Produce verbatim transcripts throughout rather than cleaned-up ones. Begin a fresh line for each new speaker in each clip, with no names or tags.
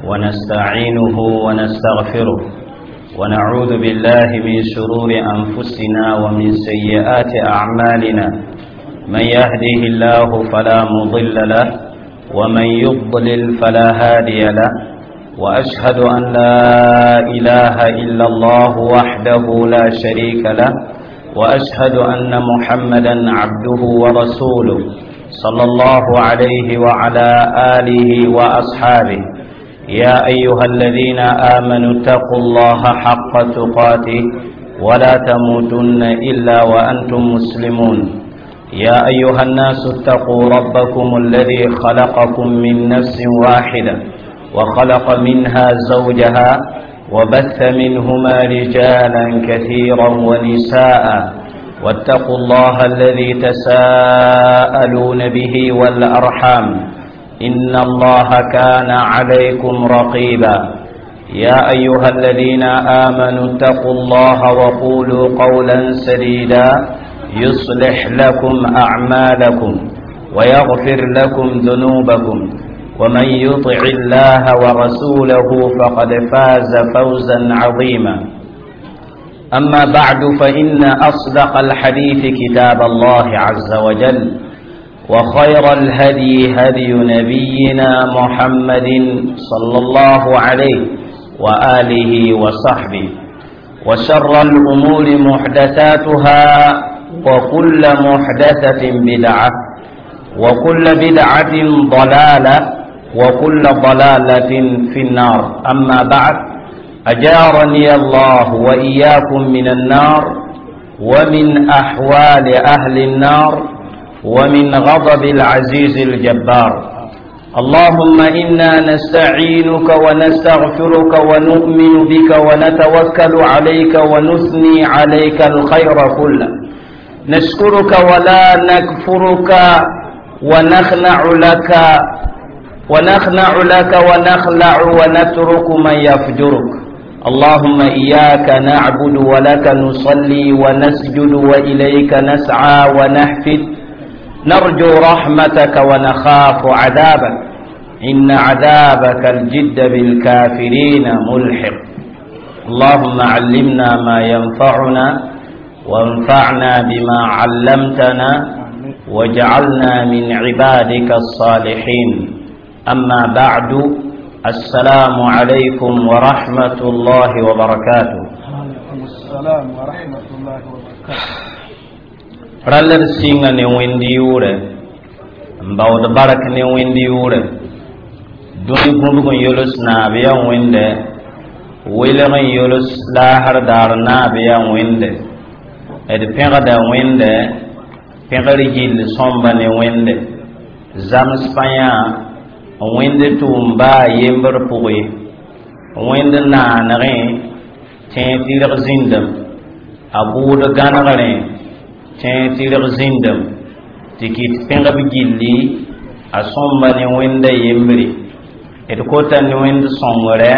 ونستعينه ونستغفره ونعوذ بالله من شرور أنفسنا ومن سيئات أعمالنا. من يهده الله فلا مضل له ومن يضلل فلا هادي له، وأشهد أن لا إله إلا الله وحده لا شريك له، وأشهد أن محمدا عبده ورسوله صلى الله عليه وعلى آله وأصحابه. يا أيها الذين آمنوا اتقوا الله حق تقاته ولا تموتن إلا وأنتم مسلمون. يا أيها الناس اتقوا ربكم الذي خلقكم من نفس واحدة وخلق منها زوجها وبث منهما رجالا كثيرا ونساء، واتقوا الله الذي تساءلون به والأرحام إن الله كان عليكم رقيبا. يا أيها الذين آمنوا اتقوا الله وقولوا قولا سديدا يصلح لكم أعمالكم ويغفر لكم ذنوبكم، ومن يطع الله ورسوله فقد فاز فوزا عظيما. أما بعد، فإن أصدق الحديث كتاب الله عز وجل، وخير الهدي هدي نبينا محمد صلى الله عليه وآله وصحبه، وشر الأمور محدثاتها، وكل محدثة بدعة، وكل بدعة ضلالة، وكل ضلالة في النار. أما بعد، أجارني الله وإياكم من النار، ومن أحوال أهل النار، ومن غضب العزيز الجبار. اللهم إنا نستعينك ونستغفرك ونؤمن بك ونتوكل عليك ونثني عليك الخير كله، نشكرك ولا نكفرك، ونخنع لك ونخنع لك ونخلع ونترك من يفجرك. اللهم إياك نعبد ولك نصلي ونسجد وإليك نسعى ونحفد، نرجو رحمتك ونخاف عذابك، إن عذابك الجد بالكافرين ملحق. اللهم علمنا ما ينفعنا، وانفعنا بما علمتنا، واجعلنا من عبادك الصالحين. أما بعد، السلام عليكم ورحمة الله وبركاته.
وعليكم السلام ورحمة الله وبركاته.
Ralr sɩnga ne wẽnd yʋʋrɛ n baood bark ne wẽnd yʋʋrɛ dũni gũbg n yols naab yaa wẽnde welg n yols laasr daar naab yaa wẽnde d pẽgda wẽnde pẽgr gill sõmba ne wẽnde zams pa yã wẽnd tʋʋm baa yembr pʋgẽ wẽnd naanegẽ tẽeg tɩrg zĩndame a bʋʋd gãnegrẽ tẽeg tɩrg zĩndame tɩ kɩt pẽgb gilli a sõmba ne wẽnda yembre d kota ne wẽnd sõngrɛ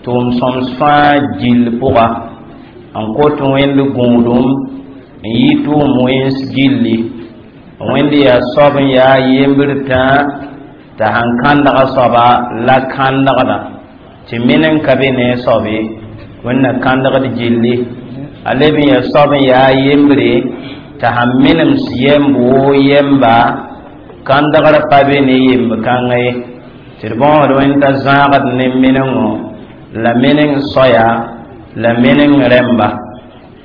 tʋʋm sõms fãa gill pʋga n kot wẽnd gũudum n yɩ tʋʋm wẽns gilli wẽnd yaa soab n yaa yembr tã t'a sãn kãndga soaba la kãndgda tɩ men n ka be ne a soab ye wẽnd na kãndgd gilli a leb n yaa soab n yaa yembre t'a sãn menems yɛmb woo yɛmba kãndgr pa be ne yemb kãnga ye tɩ d bõosd wẽnd t'a zãagd ne menengo la meneng soaya la meneng rẽmba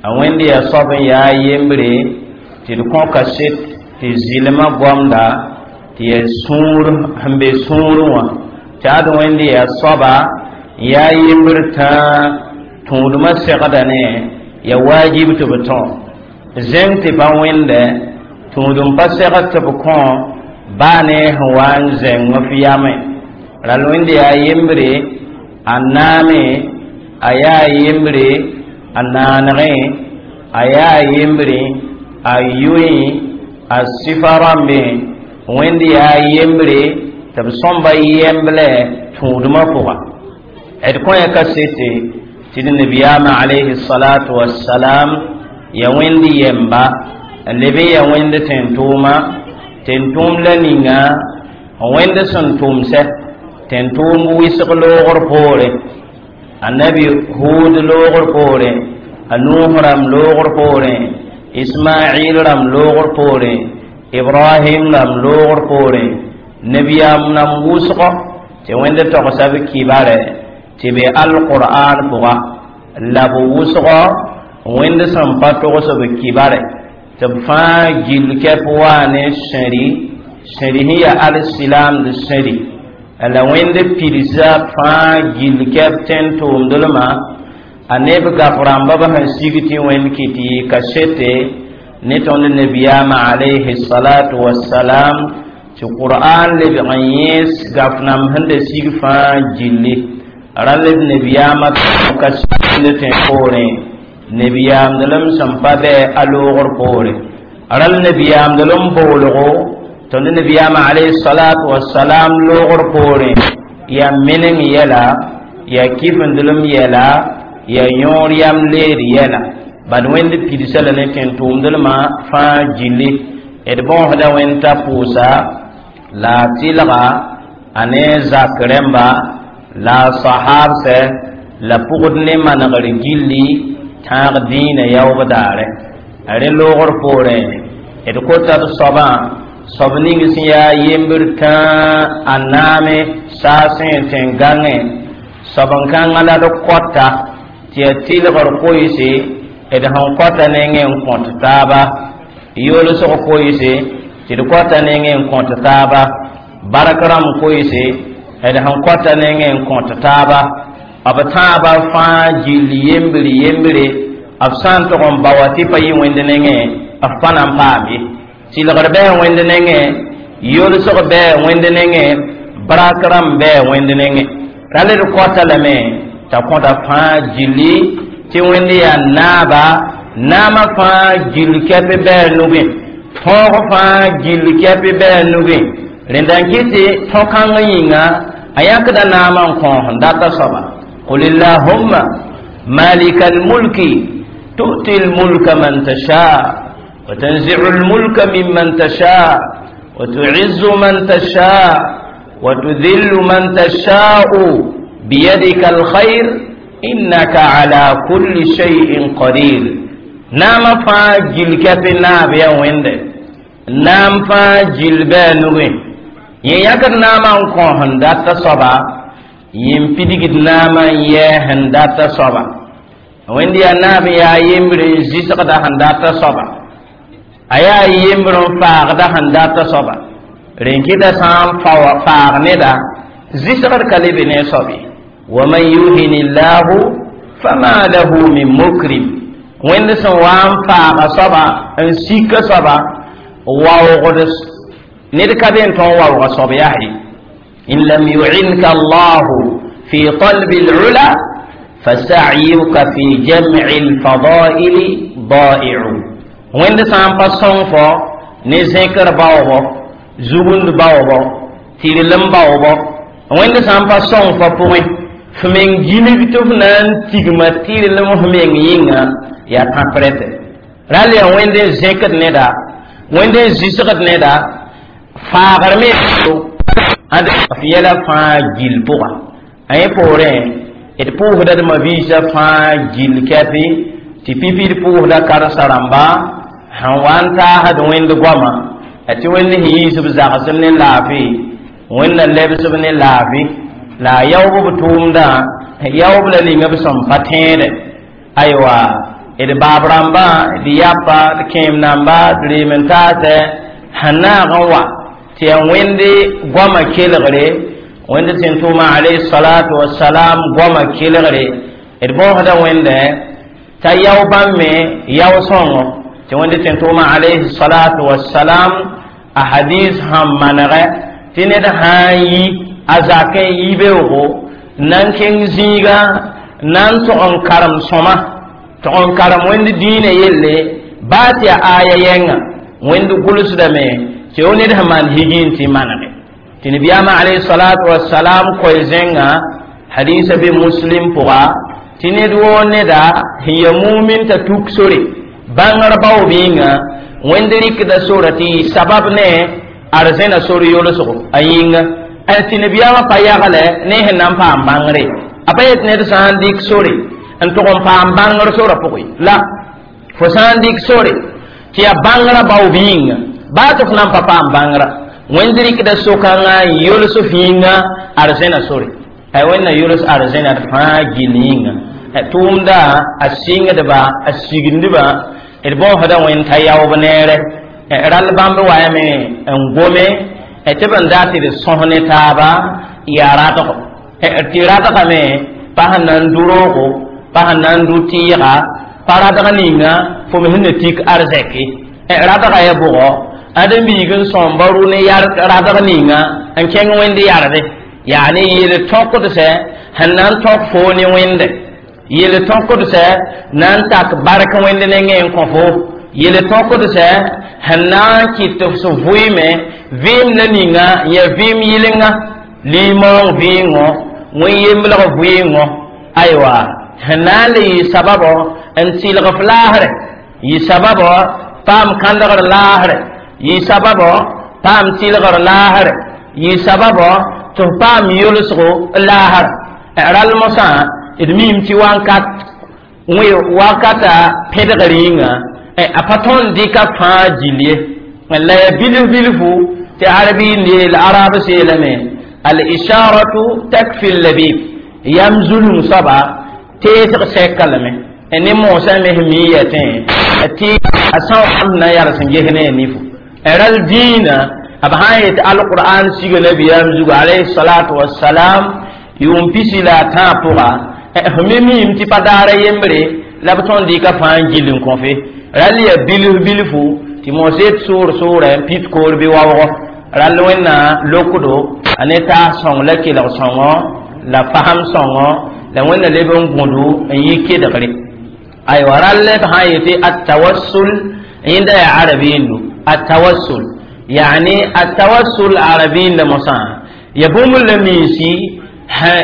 a wẽnd yaa soab n yaa yembre tɩ d kõ kaset tɩ zɩlmã goamda tɩ yaa sũur sẽn be sũurẽ wã tɩ ad wẽnd yaa soaba n yaa yembr tã tũudmã segda ne ya wajib tɩ b tõ zẽng tɩ pa wẽnde tũudum pa segd tɩ b kõ baa ne sẽn wa n zẽng f yame ral wẽnd yaa yembre a naame a yaa yembre a naanegẽ a yaa yembre a yʋẽ a sɩfa rãmbẽ wẽnd yaa yembre tɩ b sõmba yemblɛ tũudmã pʋga d kõ ya kasete tɩ d nabiyaamã alayhi salatu wassalam ya wẽnd yɛmba n leb n ya wẽnd tẽn-tʋʋma tẽn-tʋʋm la ninga wẽnd sẽn tʋmsɛ Tẽn-tʋʋmd wɩsg loogr poore, annabi Hud loogr poore, a Nuh rãmb loogr poore, Ismail rãmb loogr poore, Ibrahim rãmb loogr poore, nabiyaam nam wʋsgɔ tɩ Wẽnd togsa b kibare tɩ be alqur'an pʋga, la b wʋsgɔ Wẽnd sẽn pa togs b kibare tɩ b fãa gill kɛp waa ne sẽri sẽri sẽn yaa alsilaamd sẽri la Wẽnd pidsa fãa gill kɛp tẽn-tʋʋmdlmã a neb gaf rãmba b sẽn sig tɩ Wẽnd kɩt yɩ kasete ne tõnd nabiyaamã alayhi salatu wassalam tɩ qur'an lebg n yẽes gaf nam sẽn da sig fãa gilli rãnd d nabiyaamã kasete tẽ poorẽ nabiyaamdlem sẽn pa bɩ a loogr poore rãnd nabiyaamdlem boolgo tõnd nabiyaamã alayhi salatu wassalam loogr poorẽ yaa meneng yɛla yaa kifendlem yɛla yaa yõor yam leed yɛla bad Wẽnd pidsa la ne tẽn-tʋʋmdlmã fãa gilli d bõosda Wẽnd t'a pʋʋsa la a tɩlga a ne zak rẽmba la a sahabsɛ la pʋgd ne manegr gilli tãag dĩinã yaoog daare rẽ loogr poorẽ d kota d soabã soab ning sẽn yaa yembr tãa a naame saasẽ tẽn-gãngẽ soab n kãngã la d kɔta tɩ yaa tɩlgr koeese d sẽn kɔta nengẽ n kõt taaba yoolsg koeese tɩ d kɔta nengẽ n kõt taaba bark rãmb koeese d sẽn kɔta nengẽ n kõt taaba b tãabã fãa gill yembre yembre b sã n tog n ba wa tɩ pa yɩ Wẽnd nengẽ b pa na n paam ye tɩlgr bɩ Wẽnd nengẽ yolsg bɩ Wẽnd nengẽ brak rãmb bɩ Wẽnd nengẽ rale d kɔta lame t'a kõta fãa gilli tɩ Wẽnd yaa naaba naamã fãa gill kɛp bɩ a nugẽ tõog fãa gill kɛp bɩ a nugẽ rẽnda n kɩt tɩ tõ-kãng yĩnga a yãkda naamã n kõos n data soaba قل اللهم مالك الملك تؤتي الملك من تشاء وتنزع الملك ممن تشاء وتعز من تشاء وتذل من تشاء بيدك الخير إنك على كل شيء قدير نام فا جل كف ناب يا ويند نام فا جل بانوي يكر نام كون داتا صبا yẽn pidgd naamã n yɛɛ sẽn data soaba Wẽnd yaa naab yaa yembr n zɩsgda sẽn data soaba a yaa yembr n faagda sẽn data soaba rẽn kɩta sã n faag neda zɩsgd ka le be ne a soab ye waman yuhin llahu fama lahu min mukrim Wẽnd sẽn wa n faaga soaba n sika soaba waoogd ned ka be n tõog waooga soab yaa ye إن لم يعنك الله في طلب العلا فسعيك في جمع الفضائل ضائع وين سان pa sõng fo ne zẽkr baoobo zugund baoobo tɩrlem baoobo Wẽnd sã n pa sõng fo pʋgẽ f meng gilg tɩ f na n tigma tɩrlem f meng yĩnga yaa tãprɛtɛ ral yaa Wẽnd n zẽkd neda Wẽnd n zɩsgd neda faagr me ãd f yɛla fãa gill pʋga a yẽ poorẽ d pʋʋsda d mabiisã fãa gill kɛpɩ tɩ pipi d pʋʋsda karen-sa rãmba sẽn wa n taasd Wẽnd goama tɩ Wẽnd sẽn yiis b zagsem ne laafɩ Wẽnd na lebsb ne laafɩ la a yaoob b tʋʋmdã yaoob la ninga b sẽn pa tẽedɛ aywa d baab rãmbã d yapa d kẽem namba d reem n taasɛ sẽn naag n wa tɩ yaa Wẽnde goamã kelgre Wẽnd tẽn tʋʋmã alayhi salatu wasalam goamã kelgre d bõosda Wẽndɛ t'a yao bãmb me yao sõngo tɩ Wẽnd tẽn tʋʋmã alayhi salatu wasalam a hadis sẽn manegɛ tɩ ned sã n yi a zakẽ yi beoogo na n kẽng zĩiga na n tog n karem sõma tog n karem Wẽnd dĩinã yelle baa tɩ yaa aya yɛnga Wẽnd gʋlsdame tɩ yo ned sẽn maan higi n tɩ manege tɩ nabiyaamã alayhi salatu wasalam koe zẽnga hadisa be Muslim pʋga tɩ ned woo neda sẽn ya mumin t'a tuk sore bãngr baoob yĩnga Wẽnd rɩkda sora tɩ yɩ sabab ne arzẽna sor yolsgo a yĩnga Tɩ nabiyaamã pa yagle ne sẽn na n paam bãngre, a pa yet ned sã n dɩk sore n tʋg n paam bãngr sora pʋgẽ la fo sã n dɩk sore tɩ yaa bãngrã baoob yĩnga, baa tɩ f na n pa paam bãngrã, Wẽnd rɩkda so-kãngã n yols f yĩnga arzẽna sore. Wẽnna yols arzẽna d fãa gill yĩnga. Tʋʋmda a sɩngdba, a signdba, d bõosda Wẽnd t'a yaoob neere. Rall bãmb waame n gome tɩ b n dat tɩ d sõs ne taaba yaa radgo, tɩ radgame pa sẽn na n du roogo, pa sẽn na n du tɩɩga, pa radg ninga fo me sẽn na tik arzɛke. Radga ya bʋgɔ ãdem-biig n sõmba rʋ ne radg ninga n kẽng Wẽnd yarde, yaa ne yel tõkd sɛ sẽn na n tõk foo ne Wẽnde, yel tõkd sɛ na n tak bark Wẽnd nengẽ n kõ fo, yel tõkd sɛ sẽn na n kɩt tɩ f vʋɩɩme vɩɩm la ninga ya vɩɩm yɩlenga, limaoong vɩɩngõ, wẽn-yemblg vɩɩngõ, aywa, sẽn na n le yɩ sababɔ n tɩlg f laasrɛ, yɩ sababɔ paam kãndgr laasrɛ, yɩ sababɔ paam tɩlgr laasrɛ, yɩ sababɔ tɩ f paam yolsgo laasra. Rall mosã d miime tɩ wakat wakata pẽdgr yĩnga a pa tõnd dɩka fãa gill ye, la ya bilf bilfu tɩ arbi yeel, arab seelame: al isharatu takfi labib. Yam zulum soaba teesg sɛka lame ne moosã me sẽn mi yɛtẽ tɩ a sã n na yals n ges ne a nifo. Rall dĩinã b sã n yet alqur'an siga nabiyaam zugu alayhi salatu wassalam yʋʋm pisi la a tãab pʋga, f me miime tɩ pa daara yembre la b tõnd dɩka fãa n gill n kõ fe. Rall ya bilf bilfu tɩ moos yet soor soorɛ n pit koor bɩ waoogɔ. Rall Wẽnna lokdo a ne taas sõng la kelg sõngo la fasem sõngo la Wẽnna leb n gũdu n yɩ kedgre. Aywa, rall b sã n yetɩ atawassul, yẽnda yaa arabiindu atawassul, yani atawassul arabiinda mosã ya bũmb la minsi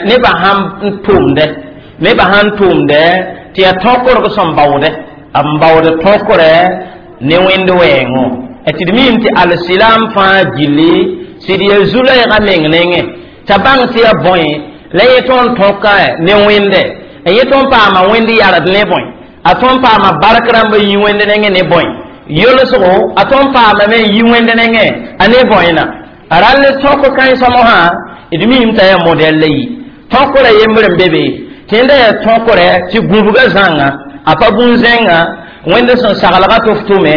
nebã sãn n tʋmdɛ, nebã sãn tʋmdɛ tɩ yaa tõkrg sẽn baoodɛ, b baood tõkrɛ ne Wẽnd wɛɛngõ, tɩ d miime tɩ alsilam fãa gilli sɩd ya zu-loɛɛgã meng nengẽ t'a bãng tɩ ya bõe la yẽ tõnd tõka ne Wẽnde, yẽ tõnd paama Wẽnd yard ne bõe, a tõnd paama bark rãmba yi Wẽnd nengẽ ne bõe, yolsgo a tõnd paamame n yi Wẽnd nengẽ a ne bõena. Rall tõk kãensã mosã d miime t'a yaa modɛl la yi tõkrã yembr n be be tɩ yẽnda yaa tõkrɛ tɩ gũbgã zãnga a pa bũn-zẽnga Wẽnd sẽn saglga tɩ f tʋme,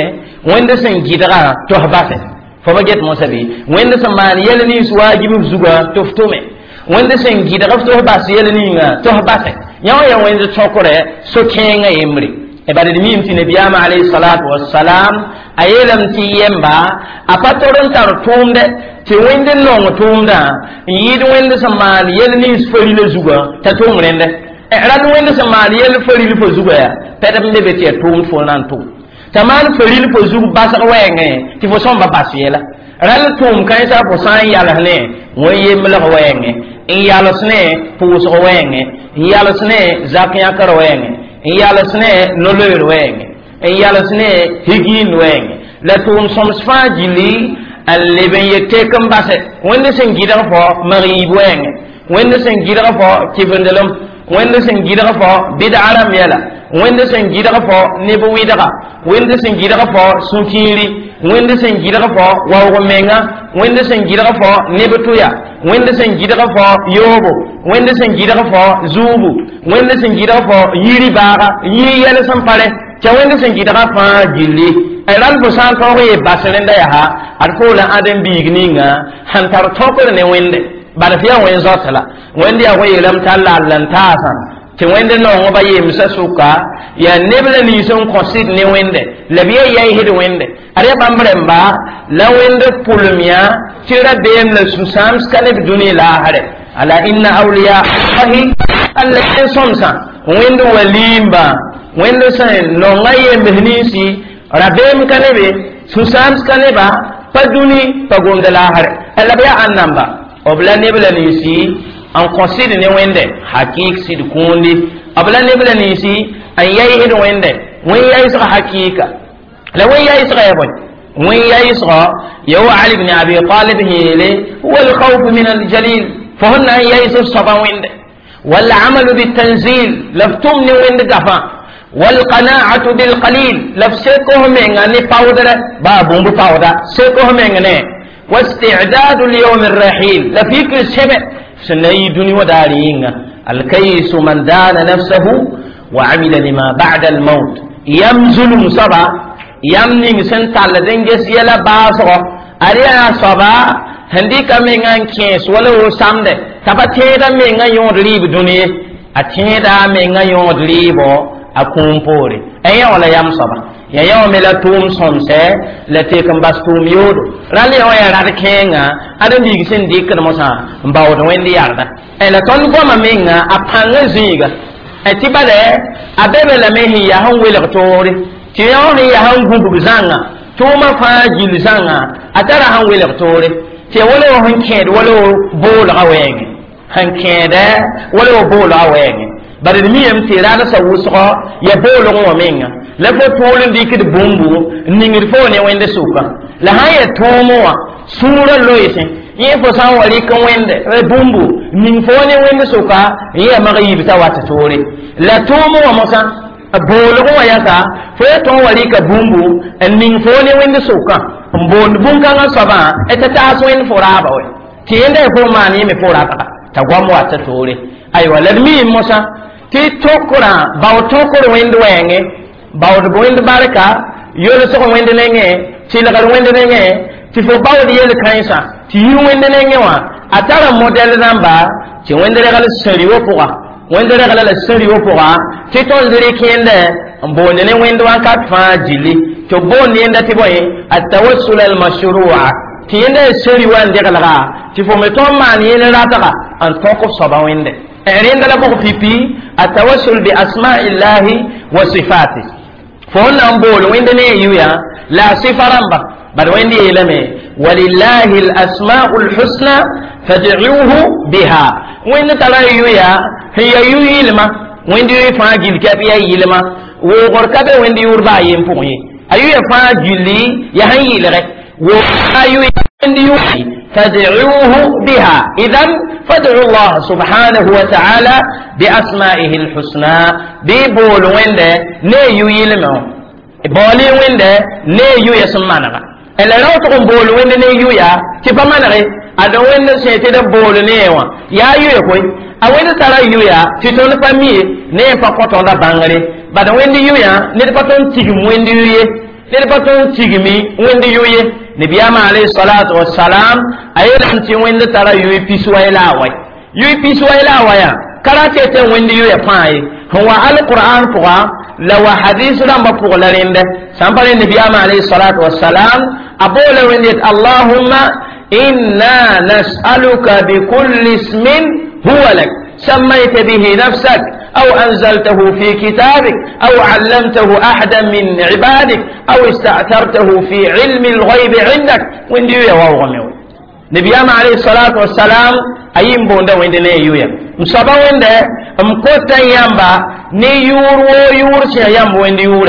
Wẽnd sẽn gɩdga tɩ f basɛ fo pa get mosã bɩ, Wẽnd sẽn maan yɛl nins waajib f zugã tɩ f tʋme, Wẽnd sẽn gɩdg f tɩ f bas yɛl ninga tɩ f basɛ. Yã wã yaa Wẽnd tõkrɛ so-kẽengã yembre. Bala d miime tɩ nabiyaamã alayhi salatu wassalam a yeelame tɩ yemba a pa tor n tar tʋʋmdɛ tɩ Wẽnd n nong tʋʋmdã n yɩɩd Wẽnd sẽn maan yɛl nins farila zugã t'a tʋʋm rẽndɛ. Rall Wẽnd sẽn maan yɛl faril fo zugã yaa pɛdb n be be tɩ yaa tʋʋmd fo na n tʋʋm t'a maan faril fo zug basg wɛɛngẽ tɩ fo sõmba bas yɛla. Rall tʋʋm kãensã fo sã n yals ne wẽn-yemblg wɛɛngẽ, n yals ne pʋʋsg wɛɛngẽ, n yals ne zak yãkr wɛɛngẽ, n yals ne no-loeer wɛɛngẽ, n yals ne higiin wɛɛngẽ, la tʋʋm sõms fãa gilli n leb n yet tek n basɛ. Wẽnd sẽn gɩdg fo mag-yiib wɛɛngẽ, Wẽnd sẽn gɩdg fo kɩvendelem, Wẽnd sẽn gɩdg fo bɩdga rãmb yɛla, Wẽnd sẽn gɩdg fo neb wɩdga, Wẽnd sẽn gɩdg fo sũ-kiiri, Wẽnd sẽn gɩdg fo waoog menga, Wẽnd sẽn gɩdg fo neb tʋya, Wẽnd sẽn gɩdg fo yoobo, Wẽnd sẽn gɩdg fo zuubu, Wẽnd sẽn gɩdg fo yiri baaga, yiri yɛl sẽn pare t'a Wẽnd sẽn gɩdga fãa gilli. Rall fo sã n tõog ye bas rẽnda yaa ad fo la ãdem-biig ninga sẽn tar tõkr ne Wẽnde, bala tɩ yaa Wẽn zoat la Wẽnd yaa wẽ yeelame t'a lall n taasã tɩ Wẽnd nongba yemsã sʋka yaa neb la nins n kõ sɩd ne Wẽnde la b yaa yaɩsd Wẽnde. Ad yaa bãmb rẽmba la Wẽnd pʋlem yã tɩ rabeem la sũ-sãams ka neb dũni laasrɛ. Ala inna awliya allahi alla sõmsã Wẽnd waliimba, Wẽnd sẽn nonga yembs ninsi rabeem ka nebe, sũ-sãams ka neba, pa dũni pa gomda laasrɛ la b yaa ãn namba b la neb la ninsi n kõ sɩd ne Wẽnde hakik sɩd kũundi, b la neb la ninsi n yaɩsd Wẽnde wẽn yaɩsg hakɩɩka la wẽn yaɩsga ya bõe. وين يسغى يو علي بن أبي طالب هيلي هو الخوف من الجليل فهن يس الصبا وين والعمل بالتنزيل لفتمني وين دفا والقناعة بالقليل لفسيكه من أني باودر بابون باودا سيكه من أني واستعداد اليوم الرحيل لفيك السبع سنة دنيا ودارين الكيس من دان نفسه وعمل لما بعد الموت يمزل مصبا يمني سنتال دنجس يلا باسو أريا صبا هندي كمين أن كيس ولا سامد تبا تيدا من أن يون ليب دنيا أتيدا من أن يون ليبو أكون بوري أي ولا يم صبا يا يوم لا توم سمسة لا تكن بس توم يود رالي هو يا راد كينغا أدم بيجسن ديك نمسا باود وين دياردا ألا تون قام مينغا أبانغ زيغا أتبالة أبيبه لمهي يا هم ويلك توري تيوني يا هم غوغ زانغا توما فاجيل زانغا أترى هم ويلك توري تي ولا هن كيد ولا بول غوين هن كيد ولا بول غوين bari mi yam tɩ raad sa wʋsgɔ ya boolg wã menga la fo tool n dɩkd bũmbu n ningd fo ne wẽnd sʋka la sã n yaa tõom wã sũurã loeesẽ yẽ fo sã n wa rɩk wẽnde bũmbu ning fo ne wẽnd sʋka n yaa mag yiib t'a wat toore la tõom wã mosã boolg wã yasa fo ya tõn wa rɩka bũmbu n ning fo ne wẽnd sʋkã n boond bũn-kãngã soabã t'a taas wẽnd fo raaba wɛ tɩ yẽnda fo maan yẽ me fo ratga t'a goam wat toore aywa la d miime mosã tɩ tokra bao tokr wẽnd wɛɛngẽ baood wẽnd barka yolsg wẽnd nengẽ tɩlgr wẽnd nengẽ tɩ fo baood yel-kãensã tɩ yir wẽnd nengẽ wã a tara modɛl rãmba tɩ wẽnd regl sẽri wã pʋga wẽnd regla la sẽri wã pʋga tɩ tõnd rɩk yẽndɛ n boond ne wẽnd wãnkat fãa gilli tɩ b boond yẽnda tɩ bõe atawassul almashrua tɩ yẽnda ya sẽri wã n degelga tɩ fo me tõnd maan yẽnd ratga n tõk f soaba wẽnde عند لبغ في بي التوسل بأسماء الله وصفاته فهنا نقول وين يويا لا صفة رمبا بل وين يلمي ولله الأسماء الحسنى فادعوه بها وين ترى يويا هي يوي لما وين يوي فاجل كبيا يلما وغر كبي وين يوربا ينفوي أيويا فاجلي يهني لغي وأيويا فادعوه بها إذن فادعوا الله سبحانه وتعالى بأسمائه الحسنى بيبول ويند نيو يلمو بولي ويند نيو يسمانغا إلا لو تقوم بول ويند نيو يا تبا مانغي أدو ويند سيتي بول نيوا يا يو يكوي أوين ترى يو يا تتون فمي ني فقطون دا بانغري بعد ويند يو يا نتبطون تيجم ويند يو يي نتبطون تيجمي ويند يو يي نبيام عليه الصلاة والسلام أيضا تي وين ترى يوي بيسوا إلى واي يوي بيسوا إلى وايا كراتي تي وين يوي فاي هو القرآن فوا لو حديث لم بقول لرند سامبر النبيام عليه الصلاة والسلام أقول وين اللهم إنا نسألك بكل اسم هو لك سميت به نفسك أو أنزلته في كتابك أو علمته أحدا من عبادك أو استأثرته في علم الغيب عندك وين يا واو نبيام عليه الصلاة والسلام أيم بوندا وين يويا مصابا وين مكوتا يامبا ني يور و يور سي يام وين يور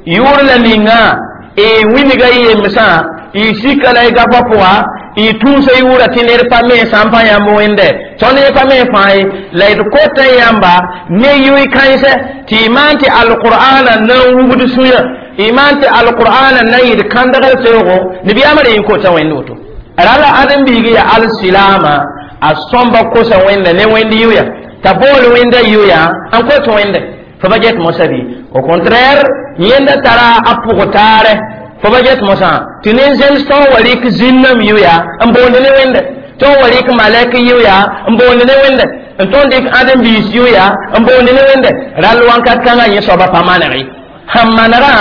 يور لنينا e winiga yemsa i sikala i gafa pʋga y tũusa yʋʋra tɩ ned pa me sã n pa yãmb wẽnde tõnd ne pa me fãa ye la d kota yãmba ne yʋɩ kãensɛ tɩ y maan tɩ alqur'ana na n wugd sũyã y maan tɩ alqur'ana na yɩd kãndgr teoogo nabiyaamã re yẽ kota wẽnd woto rala ãdem-biig ya alsilama a sõmba kosa wẽnda ne wẽnd yʋya t'a bool wẽnda yʋya n kot wẽnde fo ba get mosã bɩ au contraire yẽnda tara a pʋg taare fo ba get mosã tɩ nin-zems tõn wa rɩk zĩnnam yʋya n boond ne wẽnde tõn wa rɩk malɛk yʋya n boond ne wẽnde n tõn dɩk ãdem-biis yʋya n boond ne wẽnde rall wãnkat kãngã yẽ soaba pa maneg ye sãn manegã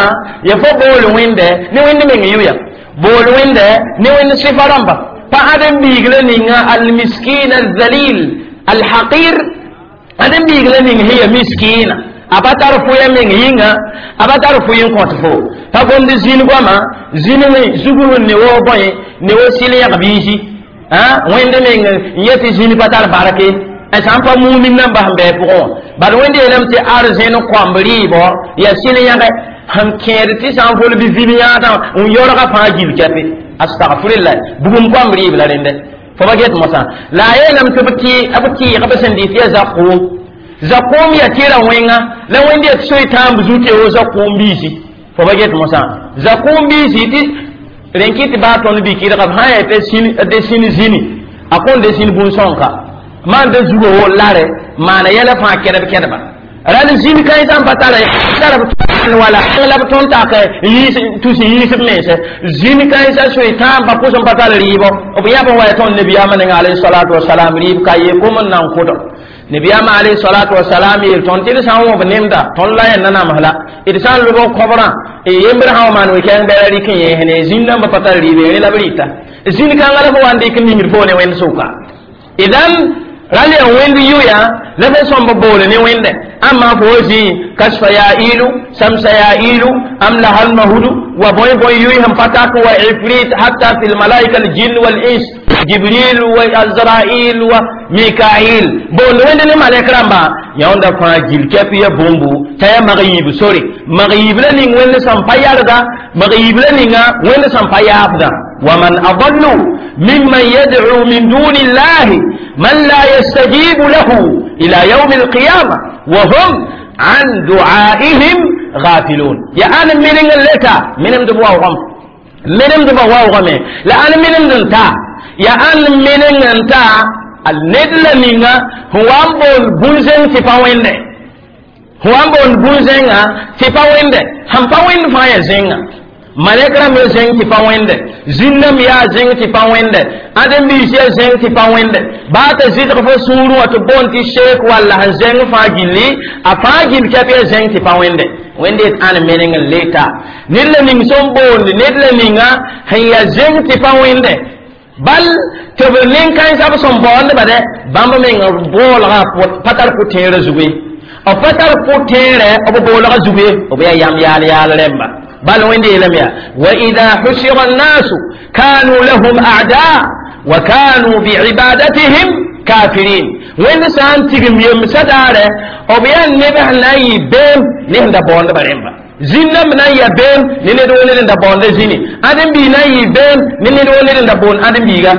ya fo bool wẽnde ne wẽnd meng yʋya bool wẽnde ne wẽnd sɩfa rãmba pa ãdem-biig la ninga almiskin alzalil alhaqir ãdem-biig la ning sẽn ya miskiina a pa tar fʋya meng yĩnga a pa tar fʋ n kõt fo pa gomd zĩn goama zĩn zugr ne wo bõe ne wo sɩl yãg biisi wẽnd meng n yet zĩn pa tar barke sã n pa mumin nan bas n bɩ pʋgẽ wã bad wẽnd yeelame tɩ arzẽn kõmb rɩɩbɔ ya sɩl yãge sẽn kẽed tɩ sã n fol bɩ vib yãadã n yõrga fãa gil kɛpe astagfirullah bugum kõm rɩɩb la rẽndɛ fo pa get mosã la a yeelame tɩ b tɩ b tɩɩg b sẽn dɩ tɩ yaa zakʋʋm zakʋʋm ya tɩra wẽnga la wẽnd yaa tɩ soy tãamb zu tɩ yaa zakʋʋm biisi fo pa get mosã zakʋʋm biisi tɩ rẽn kɩ tɩ baa tõnd bikɩdga b sã yaa tɩ sĩn zĩni a kõn de sĩn bũn-sõnka maan de zugo wo lare maana yɛla fãa kɛdb kɛdba ral zĩn kãensã n pa tara tara wala la b tõnd tak tus yiisb mense zĩn kãensã soe tãambã pʋs n pa tar rɩɩbɔ b yãb n wa ya tõnd nabiyaamã neng alayhi salatu wasalam rɩɩb ka ye kom n nan kʋdg nabiyaamã alayhi salatu wasalam yeel tõnd tɩ d sã n wõb nemda tõnd la yẽnda nams la d sã n lobg kobrã yembr sã wa maan we-kɛɛng bɛla rɩk n yẽesne zĩn dãmbã pa tar rɩɩbe rẽ la b rɩta zĩn kãngã la fo wa n dɩk n ningd fo ne wẽnd sʋka idan ral yaa wẽnd yʋya la fo sõmb boole ne wẽnde amma fo zĩ kasfa yaa iilu samsa yaa iilu am la hal mahudu wa bõe bõe yʋy sẽn pa tak wa ifrit hatta fi lmalaika aljin wal ins jibril wa azrail wa mikail boond wẽnd ne malɛk rãmba yãonda fãa gil kɛp ya bũmbu t'a yaa mag yiib sore mag yiib la ning wẽnd sẽn pa yarda mag yiib la ninga wẽnd sẽn pa yaafda ومن أضل ممن يدعو من دون الله من لا يستجيب له إلى يوم القيامة وهم عن دعائهم غافلون يا أنا من اللتا من دبوا وغم من دبوا وغم لا أنا من انت يا أنا من انت الندل منا هو أمبول بونزن تفاوين هو أمبول بونزن تفاوين هم فاوين فايا زينga malɛk rãmb ya zẽng tɩ pa wẽnde zĩnname yaa zẽng tɩ pa wẽnde ãdem-biis yaa zẽng tɩ pa wẽnde baa t'a zɩdg fo sũurẽ wã tɩ boond tɩ sheek walla sẽn zẽng fãa gilli a fãa gil kɛp yaa zẽng tɩ pa wẽnde wẽnde yet ãn meneng n le ta ned la ning sẽn boond ned la ninga sẽn yaa zẽng tɩ pa wẽnde bal tɩ b nin-kãensã b sẽn baoondba dɛ bãmb meng boolgã pa tar pʋ-tẽerã zugu ye b pa tar pʋ-tẽerɛ b boolgã zugu ye b yaa yam yaal yaal rẽmba بل وين لم يا وإذا حشر الناس كانوا لهم أعداء وكانوا بعبادتهم كافرين وين سان تيغم يم سداره أو بيان نبه ناي بيم نهن دا بوند بريمبا زينم na ya bem ne ne do ne da bonde zini adem bi na yi bem ne ne do ne da bon adem bi ga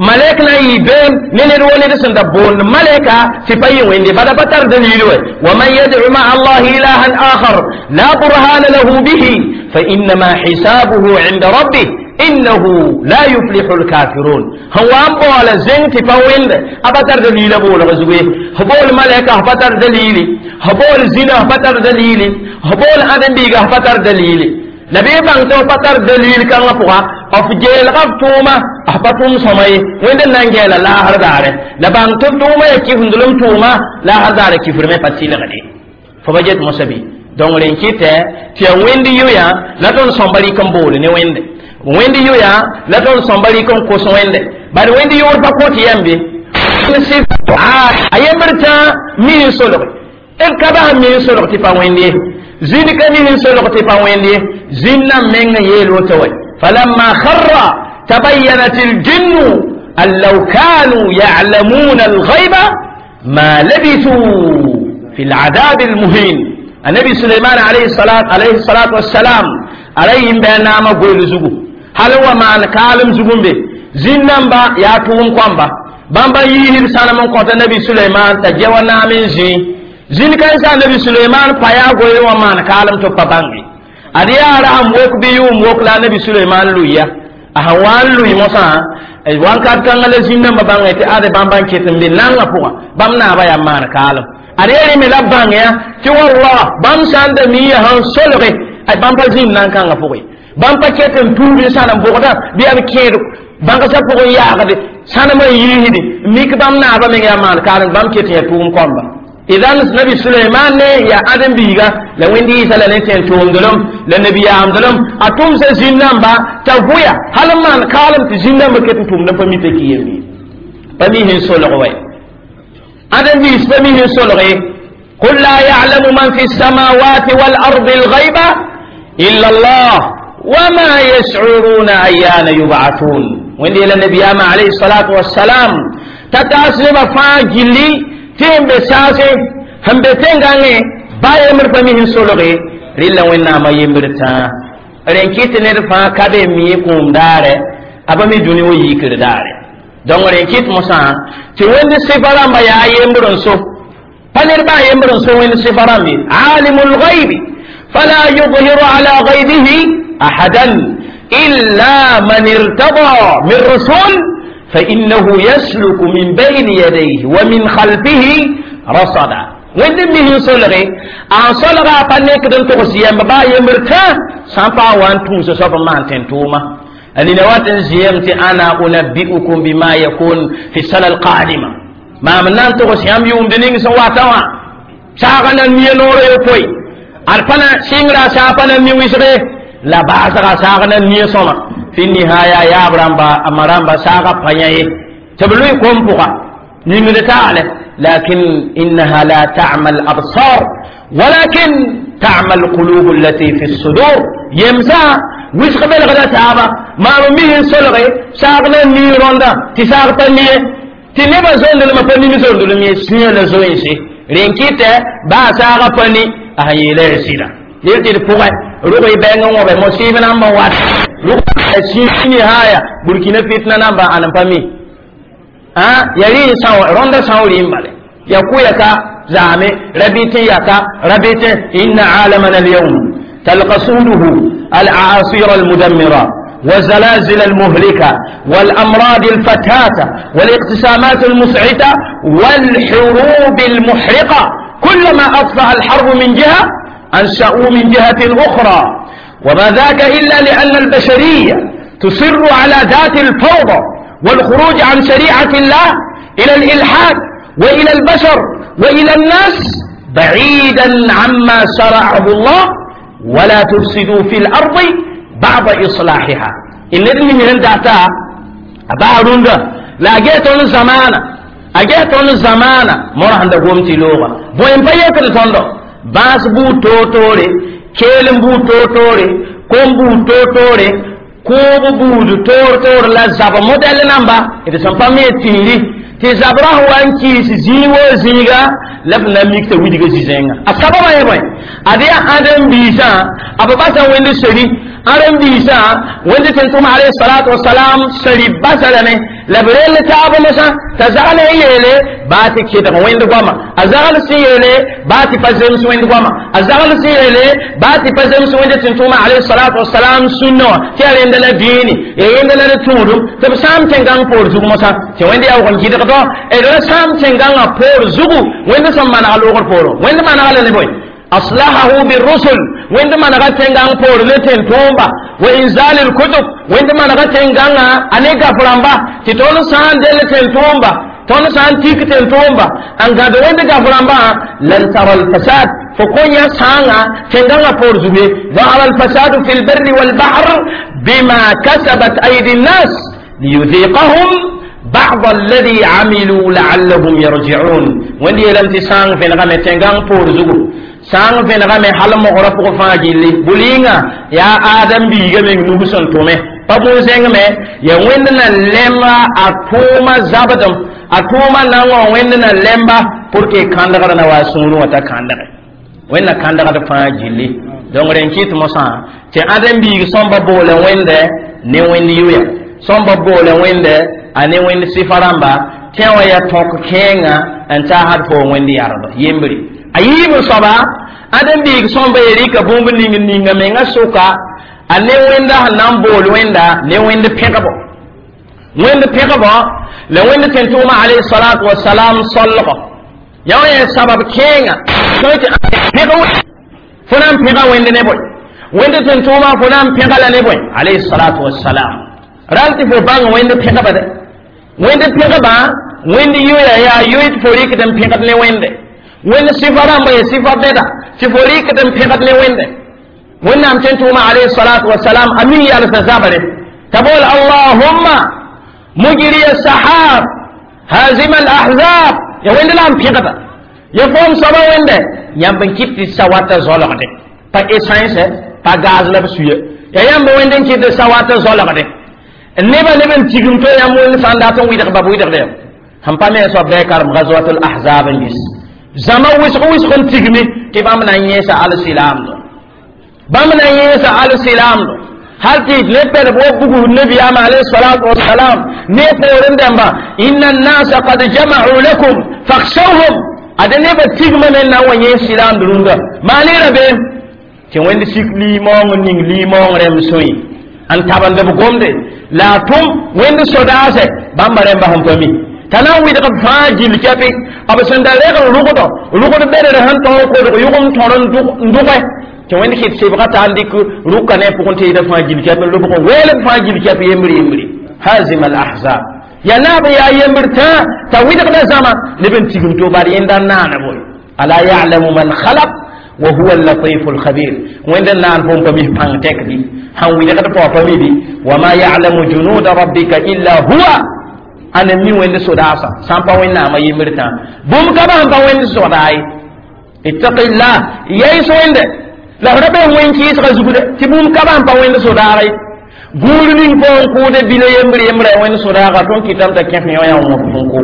malek na yi bem ne ne do ne da da bon maleka ti fayi wende bada batar dalilu wa man yad'u ma allah ilahan akhar la burhana lahu bihi فإنما حسابه عند ربه إنه لا يفلح الكافرون هو أمبو على زين تفاوين أبتر دليل بول غزوه هبول ملائكة أبتر دليل هبول زنا أبتر دليل هبول آدم بيغا أبتر دليل نبي بانتو أبتر دليل كان لفوها أفجيل غفتوما أحبتهم سمي وين نانجيلا لا هرداره لبانتو توما يكيف ندلم توما لا هرداره كيف رمي باتيل غدي فبجت مصبي donc rẽn kɩtɛ tɩ yaa wẽnd yʋya la tõnd sõmba rɩk n boole ne wẽnde wẽnd yʋya la tõnd sõmba rɩk n kos wẽnde bad wẽnd yʋʋr pa kõt yɛm bɩ a yembr tã mi n solge d ka bas mi n solg tɩ pa wẽnd ye zĩnd ka mi n solg tɩ pa wẽnd ye zĩnnã meng n yeel woto wɛ falamma kharra tabayyanat aljinnu an law kanu ya'lamuna alghayba ma labithu fi al'adab almuhin النبي سليمان عليه الصلاة عليه الصلاة والسلام عليهم بأن ما قول زغو هل هو ما كالم زغون به زينamba ya tuum kwamba bamba yihir sana mon kota nabi Sulaiman ta jewa na min zi zin kan sa nabi Sulaiman pa ya goy wa man kalam to pa bangi adi ara am wok bi yum wok la nabi Sulaiman luya a hawan luy mosa wan kat kan la zinnamba bangi te ade bamban ketem bi nanga puga bam na ba ya man kalam are me la bãng ya tɩ wallah bãmb sã n da mi ya sãn solge ay bãmb pa zĩnd nan kãngã pʋgẽ bãmb pa ket n tuub n sãnem bʋgda bɩ yaa b kẽed bãngsã pʋgẽ yaagde sãnem n yiisde mik bãmb naabã meng yaa maan karen bãmb ket n yaa tʋʋm kõmba idan nabi suleiman ne ya adem biiga la wẽnd yɩɩsa la ne tẽn tʋʋmdlem la nabiyaamdlem a tʋmsa zĩn-dãmba t'a vʋya hal n maan kaalem tɩ zĩn-dãmba ket n tʋmdã pa mi t'a ki yembe pa mi sẽn solg wɛ adem biis pa mi sẽn solg ye قل لا يعلم من في السماوات والأرض الغيب إلا الله وما يشعرون أيان يبعثون وين إلى النبي عليه الصلاة والسلام تتاسلم فاجلي تيم بساسي هم بتنغاني بايمر فمهن سولغي Rɩla Wẽnnaamã yembr tãa rẽn kɩt ned fãa ka be mi kũum daare a pa mi dũni wa yikr daare. Donc rẽn kɩt mosã tɩ wẽnd sɩfa rãmba yaa yembr n so pa ned baa yembr n so wẽnd sɩfa rãmb ye alimul ghaibi fala yudhiru ala ghaibihi ahadan illa man irtada min rasul فإنه يسلك من بين يديه ومن خلفه رصدا. Wẽnd mis n solge a solga a pa nekd n togs yɛmb baa yembr tã sã n paag wa n tũusa soab n maan tẽn-tʋʋma. Nina wat n zɩyem tɩ ana unabbi'ukum bima yakun fi sana alqadima maam n na n togs yãmb yʋʋmd ning sẽn wata wã saaga na mia noorã yopoe ad pa na sɩngra saa pa na mi wɩsge la baasga saag na mia sõma fi nihaya yaab rãmba a ma rãmba saaga pa yã ye tɩ b lʋɩ kom pʋga yĩngd taale. لكن إنها لا تعمى الأبصار ولكن تعمى القلوب التي في الصدور. يمسا ويسخ بلغدا تابا ما رميه سلغي ساغنا نيروندا تساغتا نيه تنبا زوند لما فني زوند لما يسنيا لزوينسي رينكيتا با ساغا فني أهي لا يسيلا يلتي الفوغي روغي بانغ وبي مصيبة نamba wat روغي سيني هايا burkina fitna namba anampami ah yari saw ronda sawri imbale يقويك زعمي ربيتي يكا ربيتي. إن عالمنا اليوم تلقصوده الأعاصير المدمرة والزلازل المهلكة والأمراض الفتاتة والاقتسامات المسعتة والحروب المحرقة. كلما أطفأ الحرب من جهة أنشأوا من جهة أخرى، وما ذاك إلا لأن البشرية تصر على ذات الفوضى والخروج عن شريعة الله إلى الإلحاد وإلى البشر وإلى الناس بعيدا عما شرعه الله. ولا تفسدوا في الأرض بعد إصلاحها. إن ابن من دعتا أبارونغا لا جيتون زمانا أجيتون زمانا مرة عند قومتي لغة بوين بيكر تندو باس بو توتوري كيلم بو توتوري كوم بو توتوري كوب بو تور تور لا زاب موديل نامبا إذا سمفامي تيري tɩ zabrã sẽn wa n kɩɩs zĩig woo zĩiga la b na mik t'a widga zi-zẽnga. A sababã yẽ bõe ad yaa ãdem-biisã a b basa wẽnd seri ãdem-biisã wẽnd tẽn-tʋm alayhi salatu wasalam seri basa lame la b rell taab mosã t'a zagl n yeele baa tɩ kɩdg wẽnd goama a zagl sẽn yeele baa tɩ pa zems wẽnd goama a zagl sẽn yeele baa tɩ pa zems wẽnd tẽn-tʋʋma alayhi salatu wasalam sũnnã wã tɩ yaa rẽnda la dĩini ya rẽnda la d tũudum tɩ b sãam tẽn-gãng poor zug mosã tɩ wẽnd yaoog n kɩdgdɔ d ra sãam tẽn-gãngã poor zugu wẽnd sẽn maneg loogr poorẽ wẽnd manega la ne bõe أصلحه بالرسل وعندما نغتن غان بور لتن تومبا وإنزال الكتب وعندما نغتن غان أنيغا فرامبا تتون سان دلتن تومبا تون سان تيكتن تومبا أن غاد وعند غفرامبا لن ترى الفساد فكون يا سانا تنغان بور زبي ظهر الفساد في البر والبحر بما كسبت أيدي الناس ليذيقهم بعض الذي عملوا لعلهم يرجعون. وعندي لم تسان في نغمة تنغان بور زبو sãn vẽnegame hal mogrã pʋgẽ fãa gilli bʋ-rɩnga yaa Adam biiga meng nug sẽn tʋme pa bũn-zẽng me ya wẽnd na lemba a tʋʋma zabdem a tʋʋma na n wã wẽnd na lemba pour que kãndgr na wa sũurẽ wã t'a kãndge wẽnd na kãndgd fãa gilli. Donc rẽn kɩt mosã tɩ ãdem biig sõmba boole wẽnde ne wẽnd yʋya sõmba boole wẽnde a ne wẽnd sɩfa rãmba tẽ wã yaa tõk kẽenga n taasd fo wẽnd yardb yembre a yiib n soaba ãdem biig sõmba ye rɩka bũmb ning ninga menga sʋka a ne wẽnda sẽn na n bool wẽnda ne wẽnd pẽgbo wẽnd pẽgbo la wẽnd tẽn-tʋʋma alayhi salatu wasalam solgo ya wã yaa sabab kẽenga tõe tɩ pẽg fo na n pẽga wẽnd ne bõe wẽnd tẽn-tʋʋma fo na n pẽga la ne bõe alayhi salatu wasalam ral tɩ fo bãng wẽnd pẽgba dɛ wẽnd pẽgba wẽnd yoya yaa yoy tɩ fo rɩkd n pẽgd ne wẽnde wẽnd sɩfa rãmba ya sɩfa bɛda tɩ fo rɩkd n pẽgd ne wẽnde wẽnnaam tẽn-tʋʋma alayhi salatu wasalam a mi yalsa zabre t'a bool allahumma mujri sahab hazima alahzab ya wẽnd la n pẽgda ya foom soaba wẽnde yãmb n kɩt tɩ sa wata zoalgde pa essence pa gaz la b suye ya yãmb wẽnd n kɩt tɩ sa wata zoalgde neba neb n tigim to yãmb wẽnd sã n dat n wɩdg ba b wɩdgde sẽn pa me soab bɩ karem gazwatul ahzab n gis zama wɩsg wɩsg n tigmi tɩ bãmb na n yẽesa alsilaamdo Bãmb na yẽesa al-silaamdo hal tɩ ne pɛlb wa bugusd nabiyaamã alayhi salatu wasalam ne poorẽ dãmba inna annasa qad jama'u lakum fakhshawhum ada nebã tigmã me n na n wa yẽes silaamd rũndã maan y rabeem tɩ wẽnd sik limaoong n ning limaoong rẽmb sõe n tabend b gomde la a tʋm wẽnd sodaasɛ bãmba rẽmba sẽn pa mi t'a na n wɩdg b fãa gill kɛpɩ b sẽn da reg n rʋgdɔ rʋgd bedr sẽn tõog kodg yʋgem tõr n dʋgɛ tɩ wẽnd kɩt sebga t'a n dɩk rʋka ne pʋgẽ tɩ yɩda fãa gill kɛp n lobg n weel b fãa gill kɛp yembr yembre hazim al ahzab ya naab n yaa yembr tã t'a wɩdgda zãma neb n tigim to bad yẽnda n naana boe ala ya'lamu man khalaq wa huwa al-latif al-khabir wẽnd n naan fo n pa mis pãng tɛkdi sãn wɩdgd pao pa mi bɩ wama ya'lamu junuda rabbika illa huwa ana mi wẽnd sodaasa sã n pa wẽnnaamã yembr tã bũmb ka ba sẽn pa wẽnd sodaa ye ittaqillah yays wẽnde la f ra be wẽn kɩɩsgã zugde tɩ bũmb ka ba sẽn pa wẽnd sodaagã ye gũur ning fo n kʋʋde bila yembr yembrã wẽnd sodaaga tõnd kɩtame t'a kẽf yõ yaa wõp n ko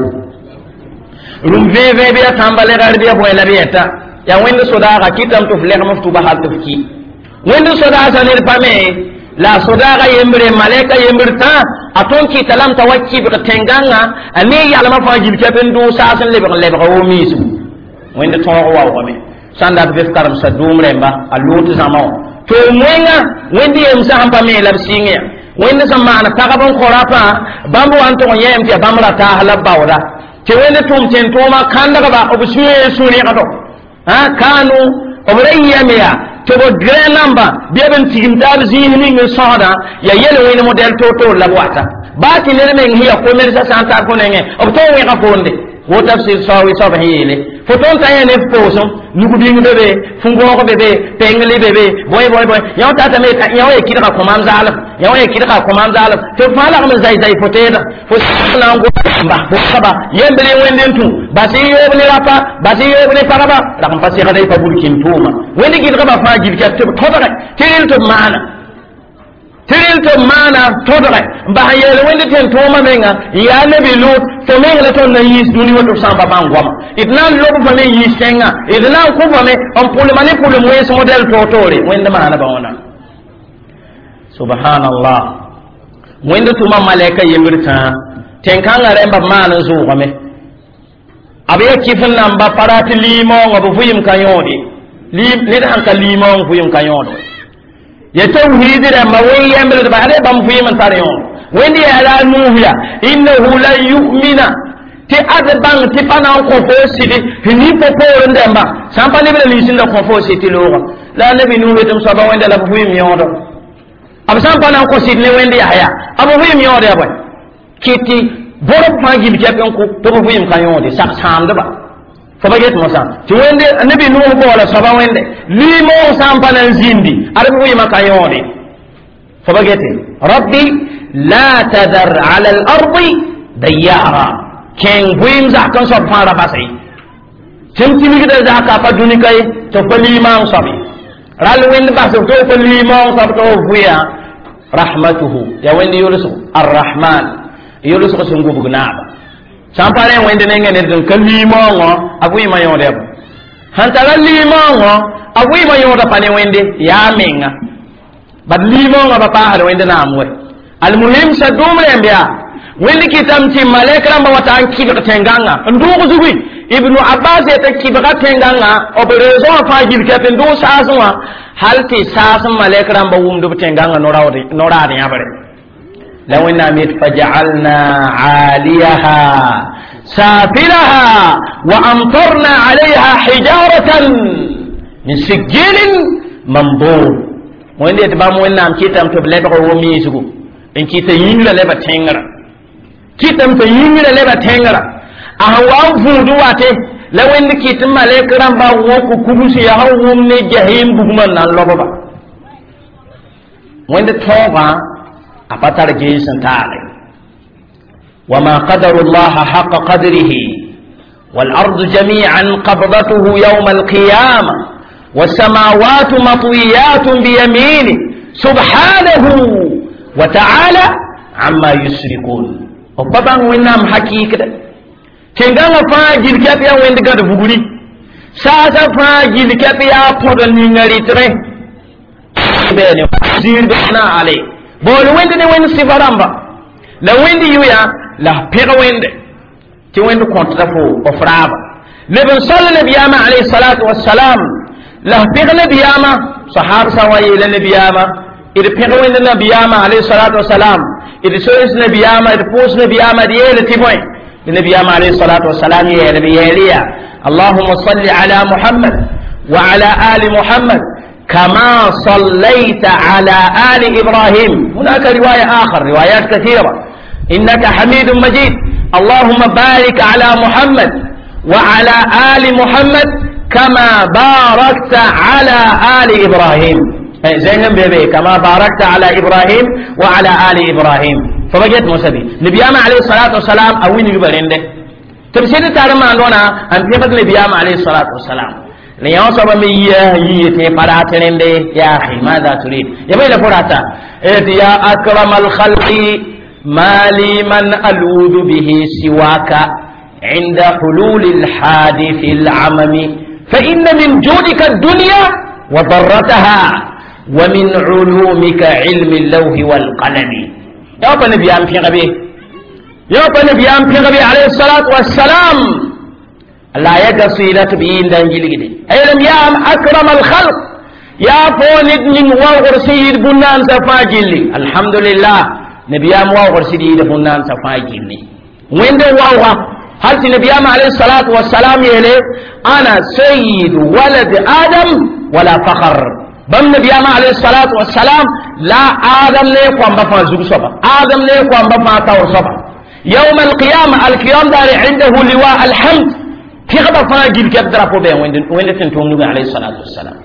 rũm vẽe-vẽe bɩ ya tãmba legr bɩ ya bõe la bɩ yɛta yaa wẽnd sodaaga kɩtame tɩ f legem f tʋba hal tɩ f ki wẽnd sodaasã ned pame la a sodaaga yembre malɛka yembr tã a tõnd kɩta lame t'a wa kɩbg tẽn-gãngã a ne yalmã fãa gil kɛp n dʋʋg saas n lebg n lebga wo miisgu wẽnd tõog waoogame sã n dat be f karemsa dʋʋm rẽmba a loot zãma wã to wẽnga wẽnd yemsã sẽn pa me la b sɩng ya wẽnd sẽn maan pagb n kõ rapã bãmb wa n tʋg n yɛɛm tɩ yaa bãmb ra taas la b baooda tɩ wẽnd tʋm tẽn-tʋʋma kãndgba b sũyẽ sũ-rẽgdo kanu b ra yɩame yaa tɩ b grɛ namba bɩ b n tigim taab zĩis ning n sõsdã yaa yel wẽnd modɛl toor-toor la b wata baa tɩ ned meng sẽn yaa komersã sã n tar fo nengẽ b tõog wẽga foonde wo tafsir saoowɩ soab sẽn yeele fo tõnd tã yẽ ne f poosem nug-bĩng be be fu-gõog be be pengli be be bõe bõe bõe yã tatame yã wa ye kɩdga kõmaam zaalem yã wa ye kɩdga kõmaam zaalem tɩ b fãa lagm n zay-zay fo teedã fo na n gomba bʋsba yembre wẽnd n tũ bas y yoob ne rapa bas y yoob ne pagba rag n pa segda y pa bul kĩn tʋʋma wẽnd gɩdgba fãa gil kɛp tɩ b tõdge tɩ rel tɩ b maana tɩ rel tɩ b maana tõdge n bas n yeel wẽnd tẽn-tʋʋmã menga n yaa nabi lut fo meng la tõnd na n yiis dũni wa tɩ b sã n pa bãng goama d na n lob fame n yiis tẽngã d na n kõ fame n pʋlma ne pʋlem wẽns modɛl toor-toore wẽnd maana ba wãna subhanallah wẽnd tʋma malɛka yembr tãa tẽn-kãngã rẽmba b maan n zʋʋgame b yaa kɩf n namba pa rat limaoongã b vʋɩɩm ka yõode ned sãn ka limaoong vʋɩɩm ka yõod ya tawhid rãmba wẽn yembldba ad bãmb vʋɩɩm n tar yõod wẽnd yaa la a nuus ya innahu lan yu'mina tɩ ad bãng tɩ pa na n kõ fo sɩd sẽn ning fo poorẽ dãmba sã n pa lebra lins n da kõ fo sɩd tɩ loogã la a nabi nuus yetɩm soaba wẽnda la b vʋɩɩm yõodo b sã n pa na n kõ sɩd ne wẽnd yasya b vʋɩɩm yõod ya bõe kɩt tɩ bõrb fãa gil kɛp n kʋ tɩ b vʋɩɩm ka yõode sak sãamdba fo pa get mosã tɩ wẽnde nabi nuus baoola soaba wẽnde limaoong sã n pa na n zĩndi ad b vʋɩɩmã ka yõode fo pa gete rabbi la tadar ala al ardi dayara kẽng vʋɩɩm zak n soab fãa ra basa ye tɩ m tilgda zaka pa dũni ka ye tɩ f pa limaoong soab ye rall wẽnd bas f tɩ f pa limaoong soab tɩ f vʋɩa rahmatuhu ya wẽnd yʋlsg arrahman yʋlsg sẽn gubg naaba sã n pa rẽ wẽnd nengẽ ned n ka limaoongõ a vʋɩɩmã yõod ya bõ sẽn tara limaoongõ a vʋɩɩmã yõoda pa ne wẽnde yaa menga bad limaoongã pa paasd wẽnd naam wɛ almuhim sa dũum rẽmb yaa wẽnd kɩtame tɩ malɛk rãmbã wa ta n kɩbg tẽn-gãngã n dʋʋg zugui ibnu abbas yetɩ kɩbga tẽn-gãngã b reezõ wã fãa gil kɛp n dʋʋg saasẽ wã hal tɩ saas n malɛk rãmbã wʋmd b tẽn-gãngã no-raad yãbre la wẽnnaam yet fajaalna aaliyaha safilaha wa amtarna alayha hijaratan min sijilin mandur wẽnd yetɩ bãmb wẽnnaam kɩtame tɩ b lebg wo miisgu n kɩta yĩngrã leba tẽngrã kɩtame tɩ yĩngrã leba tẽngrã a sẽn wa n vũud wate la wẽnd kɩt malɛk rãmba wõk kubs yaa sẽn wʋm ne jahim bugmã n na n lobba wẽnd tõogã a pa tar gees n taale وما قدروا الله حق قدره والأرض جميعا قبضته يوم القيامة والسماوات مطويات بيمينه سبحانه وتعالى عما يشركون وبابان وينام حقيقة tẽngãngã fãa gil kɛp yaa wẽnd gãd bugri saasã fãa gil kɛp yaa põd n ninga rɩtgẽ bene zir bena ale bol wẽnd ne wẽnd sɩfa rãmba la wẽnd yʋya la pẽg wẽnde tɩ wẽnd kõtda fo f raaba leb n sal nabiyaamã alayhi salatu wassalam la pẽg nabiyaamã sahab sã wa yeela nabiyaamã d pẽg wẽnd nabiyaamã alayhi salatu wassalam d soens nabiyaamã d pʋʋs nabiyaamã d yeela tɩ bõe nabiyaamã alayhi salatu wassalam yeel b yeeliya اللهم صل على محمد وعلى آل محمد كما صليت على آل إبراهيم. هناك رواية آخر، روايات كثيرة. إنك حميد مجيد. اللهم بارك على محمد وعلى آل محمد كما باركت على آل إبراهيم. زين بيبي كما باركت على إبراهيم وعلى آل إبراهيم. فبجت موسى نبينا عليه الصلاة والسلام أوين يبرين ده تبسيد تعلم عندنا أن تفضل نبينا عليه الصلاة والسلام ليوصف من يهيتي فراتنين دي يا أخي ماذا تريد يا بيلا فراتا يا أكرم الخلق ما لي من ألوذ به سواك عند حلول الحادث العمم فإن من جودك الدنيا وضرتها ومن علومك علم اللوح والقلم. يا نبي أم في غبي يا نبي أم في غبي عليه الصلاة والسلام لا يقصيلة بين دنجل أيضا يا أكرم الخلق يا فوند من وغر سيد بنان سفاجلي الحمد لله نبي أم وغر سيد بنان سفاجلي وين ده وغر هل نبي أم عليه الصلاة والسلام يلي أنا سيد ولد آدم ولا فخر بم نبي أم عليه الصلاة والسلام لا آدم ليكم بفا زوج صبا آدم ليكم بفا تور صبا يوم القيامة القيام دار عنده لواء الحمد في غبا فاجل كبدر فوبين وين وين تنتم نبي عليه الصلاة والسلام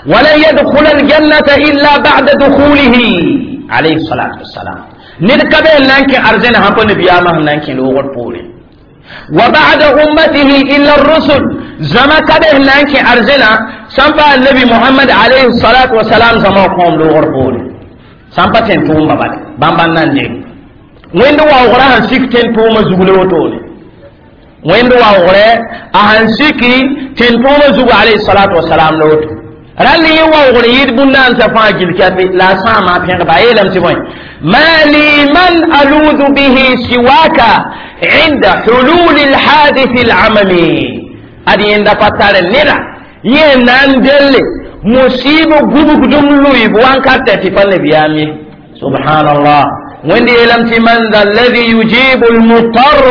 ولن يدخل الجنة إلا بعد دخوله عليه الصلاة والسلام نركب لانك أرزنا هم نبي أمه لانك لوغر بولي وبعد أمته إلا الرسل زما كبه لانك أرزنا سنفع النبي محمد عليه الصلاة والسلام زما قوم لوغر بولي سنفع تنتم بابا بامبان نانجي وين دوا وغراها سيك تنتم زغلوتوني وين دوا وغره أهنسيكي تنتم زغ عليه الصلاة والسلام لوت رالي وغره يدبنان سفاجل كافي لا ساما بين بايلم سيبوين ما لي من ألوذ به سواك عند حلول الحادث العممي أدي عند فتار النرى ينان دل مصيب غبك دملوي بوان كاتة فالنبيامي سبحان الله وين يلمت من ذا الذي يجيب المضطر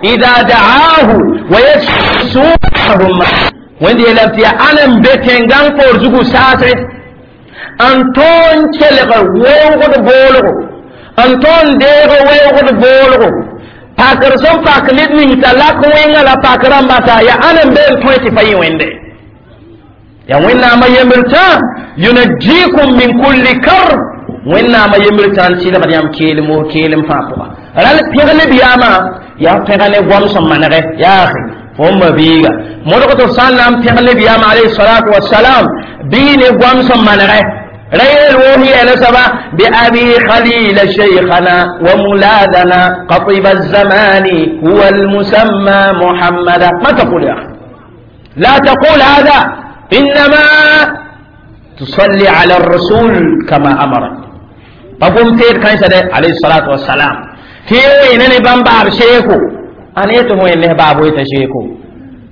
إذا دعاه ويسوعهم وين يلمت أنا بيتنغان فورزوغو ساسر أنتون تلغ ووغد بولغو أنتون ديغ ووغد بولغو باكر سن باكلid من تلاك وين لا باكران باتا يا أنا بين تويتي فاي وين دي يا وين ما يمرتا ينجيكم من كل كرب وين ما يمرتان سيدا بديام كيلم كيلم فاقوا رال بيغني بياما يا بيغني غوم سمانغه يا أخي فهم بيغا مولكو سلام بيغني بياما عليه الصلاة والسلام بيني غوم سمانغه ريل وهي نسبة بأبي خليل شيخنا وملاذنا قطب الزمان هو المسمى محمدا. ما تقول يا أخي لا تقول هذا إنما تصلي على الرسول كما أمرك بابوم تير كان سده عليه الصلاة والسلام تيو إنني بامباب شيخو أنا يتمو إنه بابو يتشيخو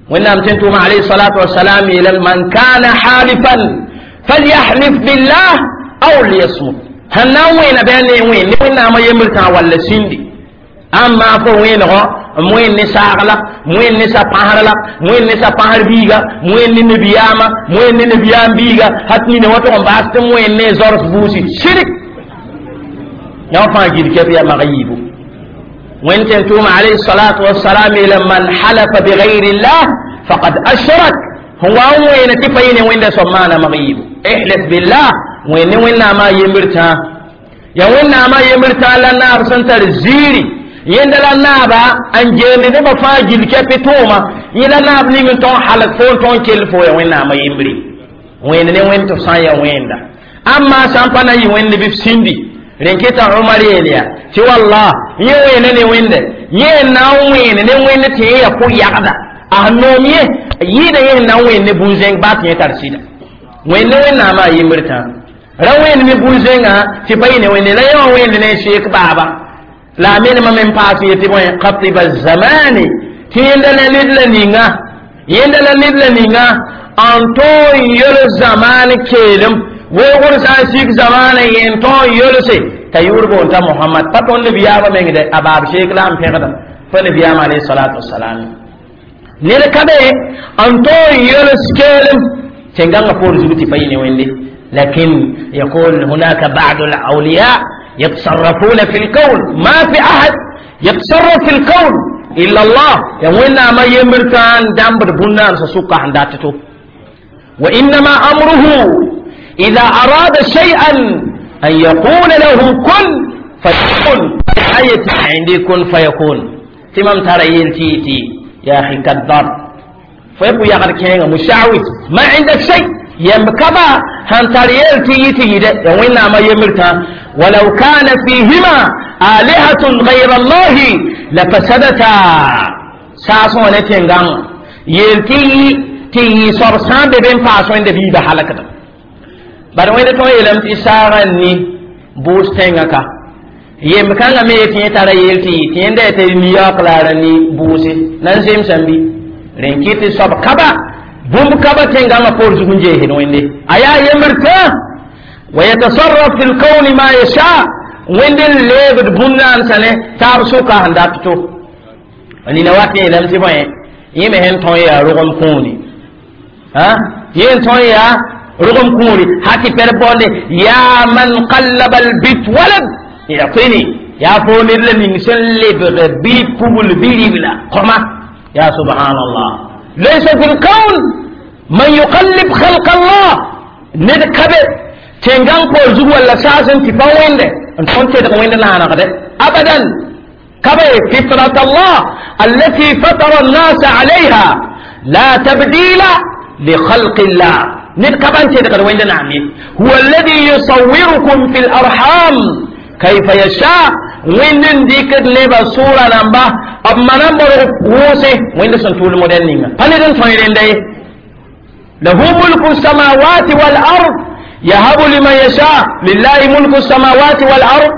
وإنهم تنتم عليه الصلاة والسلام إلى من كان حالفا فليحلف بالله أو ليصمت. هل وين بين وين وين ما يمرتا ولا سندي أما فو وين هو موين نساغلا موين نسا پاهرلا موين نسا پاهر بيغا موين نبياما موين نبيام بيغا حتى نوتو باست موين نزورس بوسي شرك يا فاجر كيف يا مغيب وين تنتم عليه الصلاة والسلام لمن حلف بغير الله فقد أشرك. هو وين تفين وين سمانا مغيب احلف بالله وين وين ما يمرتا يا وين ما يمرتا لنا سنتر زيري يندلا نابا ان جيني نبا فاجل كيف توما يلا ناب ني تون حلق فون تون كيل فو يا وين ما يمري وين وين تسان يا وين أما سامبانا يوين بيف سندي رنكتا عمر يليا تي والله يوين ني وين يه na wẽne ne wẽnd tɩ yẽ ya pʋ-yagda a noom ye yɩɩda yẽ na wẽnd ne bũn-zẽng baa tɩ yẽ tar sɩda wẽnd ne wẽnnaamã a yembr tã Ra wẽnd me bũn-zẽngã tɩ pa yɩ ne wẽnde la yẽ wã wẽnd ne sheek baaba la a menemã me n paas yetɩ bõe khatiba zamani tɩ yẽnda la ned la ninga yẽnda la ned la ninga n tõog n yols zamaan keelem weoogr sã n sik zamaanã yẽn tõog n yolse t'a yʋʋr boon t'a mohamad pa tõnd nabiyaamã meng de a baab sheek la n pẽgda pa nabiyaamã alayhi salatu wasalam ned ka be n tõog n yols keelem tẽn-gãngã poor zug tɩ pa yɩ ne wẽnde. لكن يقول هناك بعض الأولياء يتصرفون في الكون، ما في أحد يتصرف في الكون إلا الله. يوين ما يمرتان دامبر بنان سسوكا عنداتو. وإنما أمره إذا أراد شيئا أن يقول له كن فيكون. آية عندي كن فيكون. تمام ترى يلتيتي يا أخي كذاب فيبو يا غير مشعوذ ما عندك شيء يمكبا هنتريل تيتي يده وين ما يمرتا. ولو كان فيهما آلهة غير الله لفسدتا. ساسون نتينغان يلتي تي صرصان بين فاسون دبي بحلقة بار وين تو يلم تي سارني بوس تنغكا يمكان me ti tara yelti ti nda te niya klara ni buuse nan sem sambi renkiti sob kaba bũmb ka ba tẽngãngã poor zug n jeesd wẽnde a yaa yembr tã wa yatasarraf fi lkauni ma yasha wẽnd n leebd bũmb-naansã ne taab sʋka sẽn dat to nina wat yeelame tɩ bõe yẽ me sẽn tõe yaa rogem kũuni yẽ n tõe yaa rogem kũuri ha tɩ pɛr baoonde yaa man qallaba albit walad yatini yaa fo ned la ning sẽn lebg bɩ pugl bɩ ribla kõma ya subhanallah. Laysa fi lkaun man yuqallib khalq Allah ned kabe tẽngãng poor zug walla saasẽ tɩ pa wẽnde n tõnd tedg wẽnd naanegde abadan kabe fitrat Allah allati fatara الناس عليها لا تبديل لخلق الله ned ka ban tedgd wẽnd naam ye. Huwa alladhi yusawwirukum fi larham kayfa yasha wẽnd n dɩkd nebã sʋʋra rãmba b mana n borg wʋʋse wẽnd sẽn tʋʋl modɛl ninga pa ned n tõe rẽnda ye. Lahu mulku samawati wal ard يهب لمن يشاء لله ملك السماوات والأرض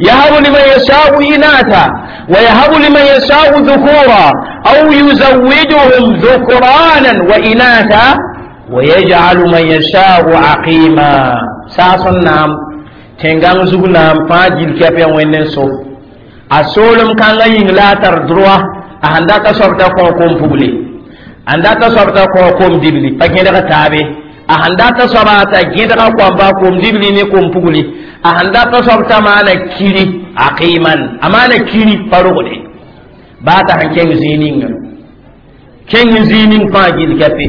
يهب لمن يشاء إناثا ويهب لمن يشاء ذكورا أو يزوجهم ذكرانا وإناثا ويجعل من يشاء عقيما. ساسن نام تنغان زوg naam fãa gil kɛp ya wẽnd n so a soolem kãngã yĩng la a tar droa a sẽn dat a soab t'a kõ kom pugle a dat a soab t'a kõ kom dibli pa gẽdg taabe a sẽn dat a soaba t'a gẽdga koamba kom dibli ne kom pugli a sẽn dat a soab t'a maana kiri aqiman a maana kiri pa rogde baa t'a sẽn kẽng zĩig ninga kẽng zĩig ning fãa gil kɛpe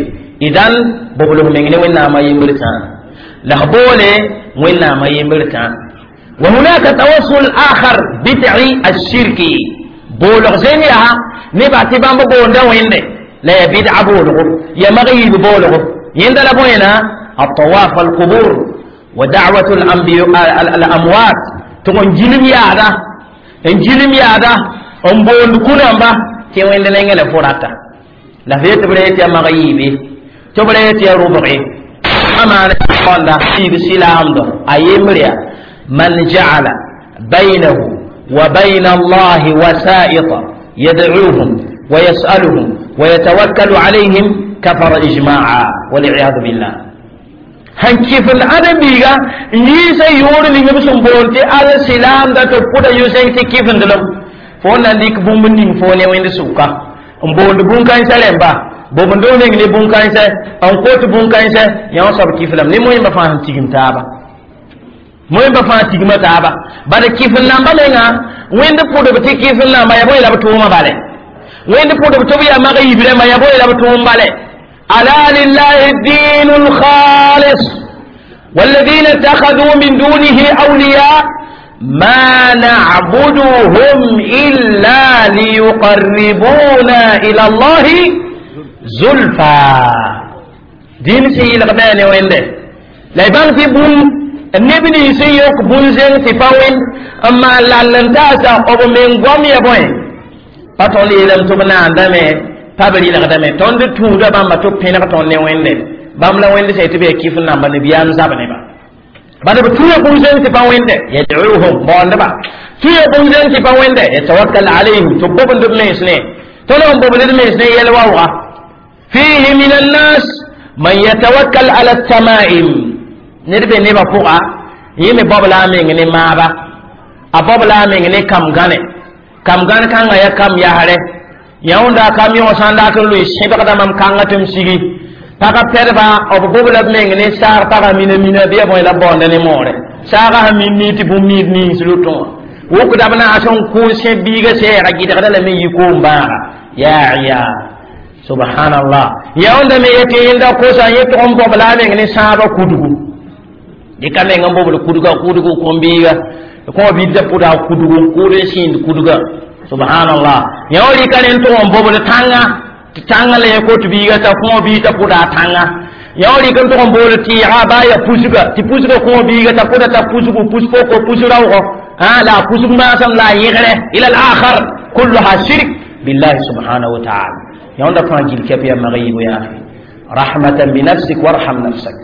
idan boblg meng ne wẽnnaamã yembr tãa la f boole wẽnnaamã yembr tãa. وهناك توسل آخر بدعي الشركي بولغ زين يا نبا تبان بوندا وين لا يبدع بولغ يا مغيب بولغ يندل بوينا الطواف القبور ودعوة الأنبياء الأموات تقول جلم يا هذا جلم يا هذا أم بول كنا تي وين لنا فراتا لا في تبريت يا مغيبي تبريت يا ربعي أما قال في بسلام دو أيمريا من جعل بينه وبين الله وسائط يدعوهم ويسألهم ويتوكل عليهم كفر إجماعا والعياذ بالله. هن كيف الأدب بيغا يسا يور لي بسم بولتي على سلام دا تبودا يوسين تي كيف ndلم فون ليك بومبنين فون وين سوكا mboond bũn-kãensã rẽmba bobndo meng ne bũn-kãensã n kot bũn-kãensã yã soab kiflame ne moẽmba fãa sẽn tigim taaba moẽmba fãa tigma taaba bala kifl namba menga wẽnd pʋdb tɩ kifl namba ya bõe la b tʋʋmã bale wẽnd pʋdb tɩ b yaa mag yib rẽmba ya bõe la b tʋʋm bale. Ala lillahi dinu lkhalis والذين اتخذوا من دونه أولياء ما نعبدهم إلا ليقربونا إلى الله زلفى. دين سي لغبان وين ده لا يبان في بون النبي سي يوك بون زين في فاوين أما لالنتاسا أبو من قوم يبوين patõn yeelame tɩ b naandame pa b rɩlgdame tõnd tũuda bãmba tɩ b pẽneg tõnd ne wẽnde bãmb la wẽnd sã tɩ b yaa kɩf n namba nabiyaam zab neba Bala b tuya bũn-zẽng tɩ pa wẽnde yad'uhum baoondba tuya bũn-zẽng tɩ pa wẽnde yatawakkal alayhim tɩ b bobend b mens ne tõnd n bobd d mens ne yɛl waooga fihi min annas man yatawakkal ala tamaim ned be nebã pʋga yẽ me baob la a meng ne maaba a baob la a meng ne kam gãne kam gãn kãngã ya kam yasrɛ yãunda kam yõ sã n dat n loe sẽbgda mam kãngã tɩ m sigi pagã pɛdba b bob la b meng ne saag pagã mina mina bɩ ya bõe la baoonda ne moore saagã sẽn min niig tɩ bũmb niid nins lotõ wã wʋkda b naas n kʋ sẽ biiga sɛɛga gɩdgda lame yɩ koom bãaga yaa ya subhanallah yãunda me yetɩ yẽnda kosa yẽ tʋg n bob la a meng ne sãabã kudgu dɩka meng n bobd kudga kudgu kom-biiga kõ bidda pʋda kudgu n kʋʋd n sĩnd kudga subhanallah yã rɩka ne n tʋg n bobd tãnga tɩ tãngã la yẽ kot biiga t'a kõ bii t'a pʋda a tãnga yã rɩk n tʋg n bool tɩɩga baa ya pusga tɩ pusga kõ biiga t'a pʋda t'a pusgu pus poko pus raoogo la a pusg maasem la a yẽgre ila al akhar kulluha shirk billahi subhanahu wa taala yãonda fãa gil kɛp ya mag yiibu yaa rahmatan binafsik warham nafsak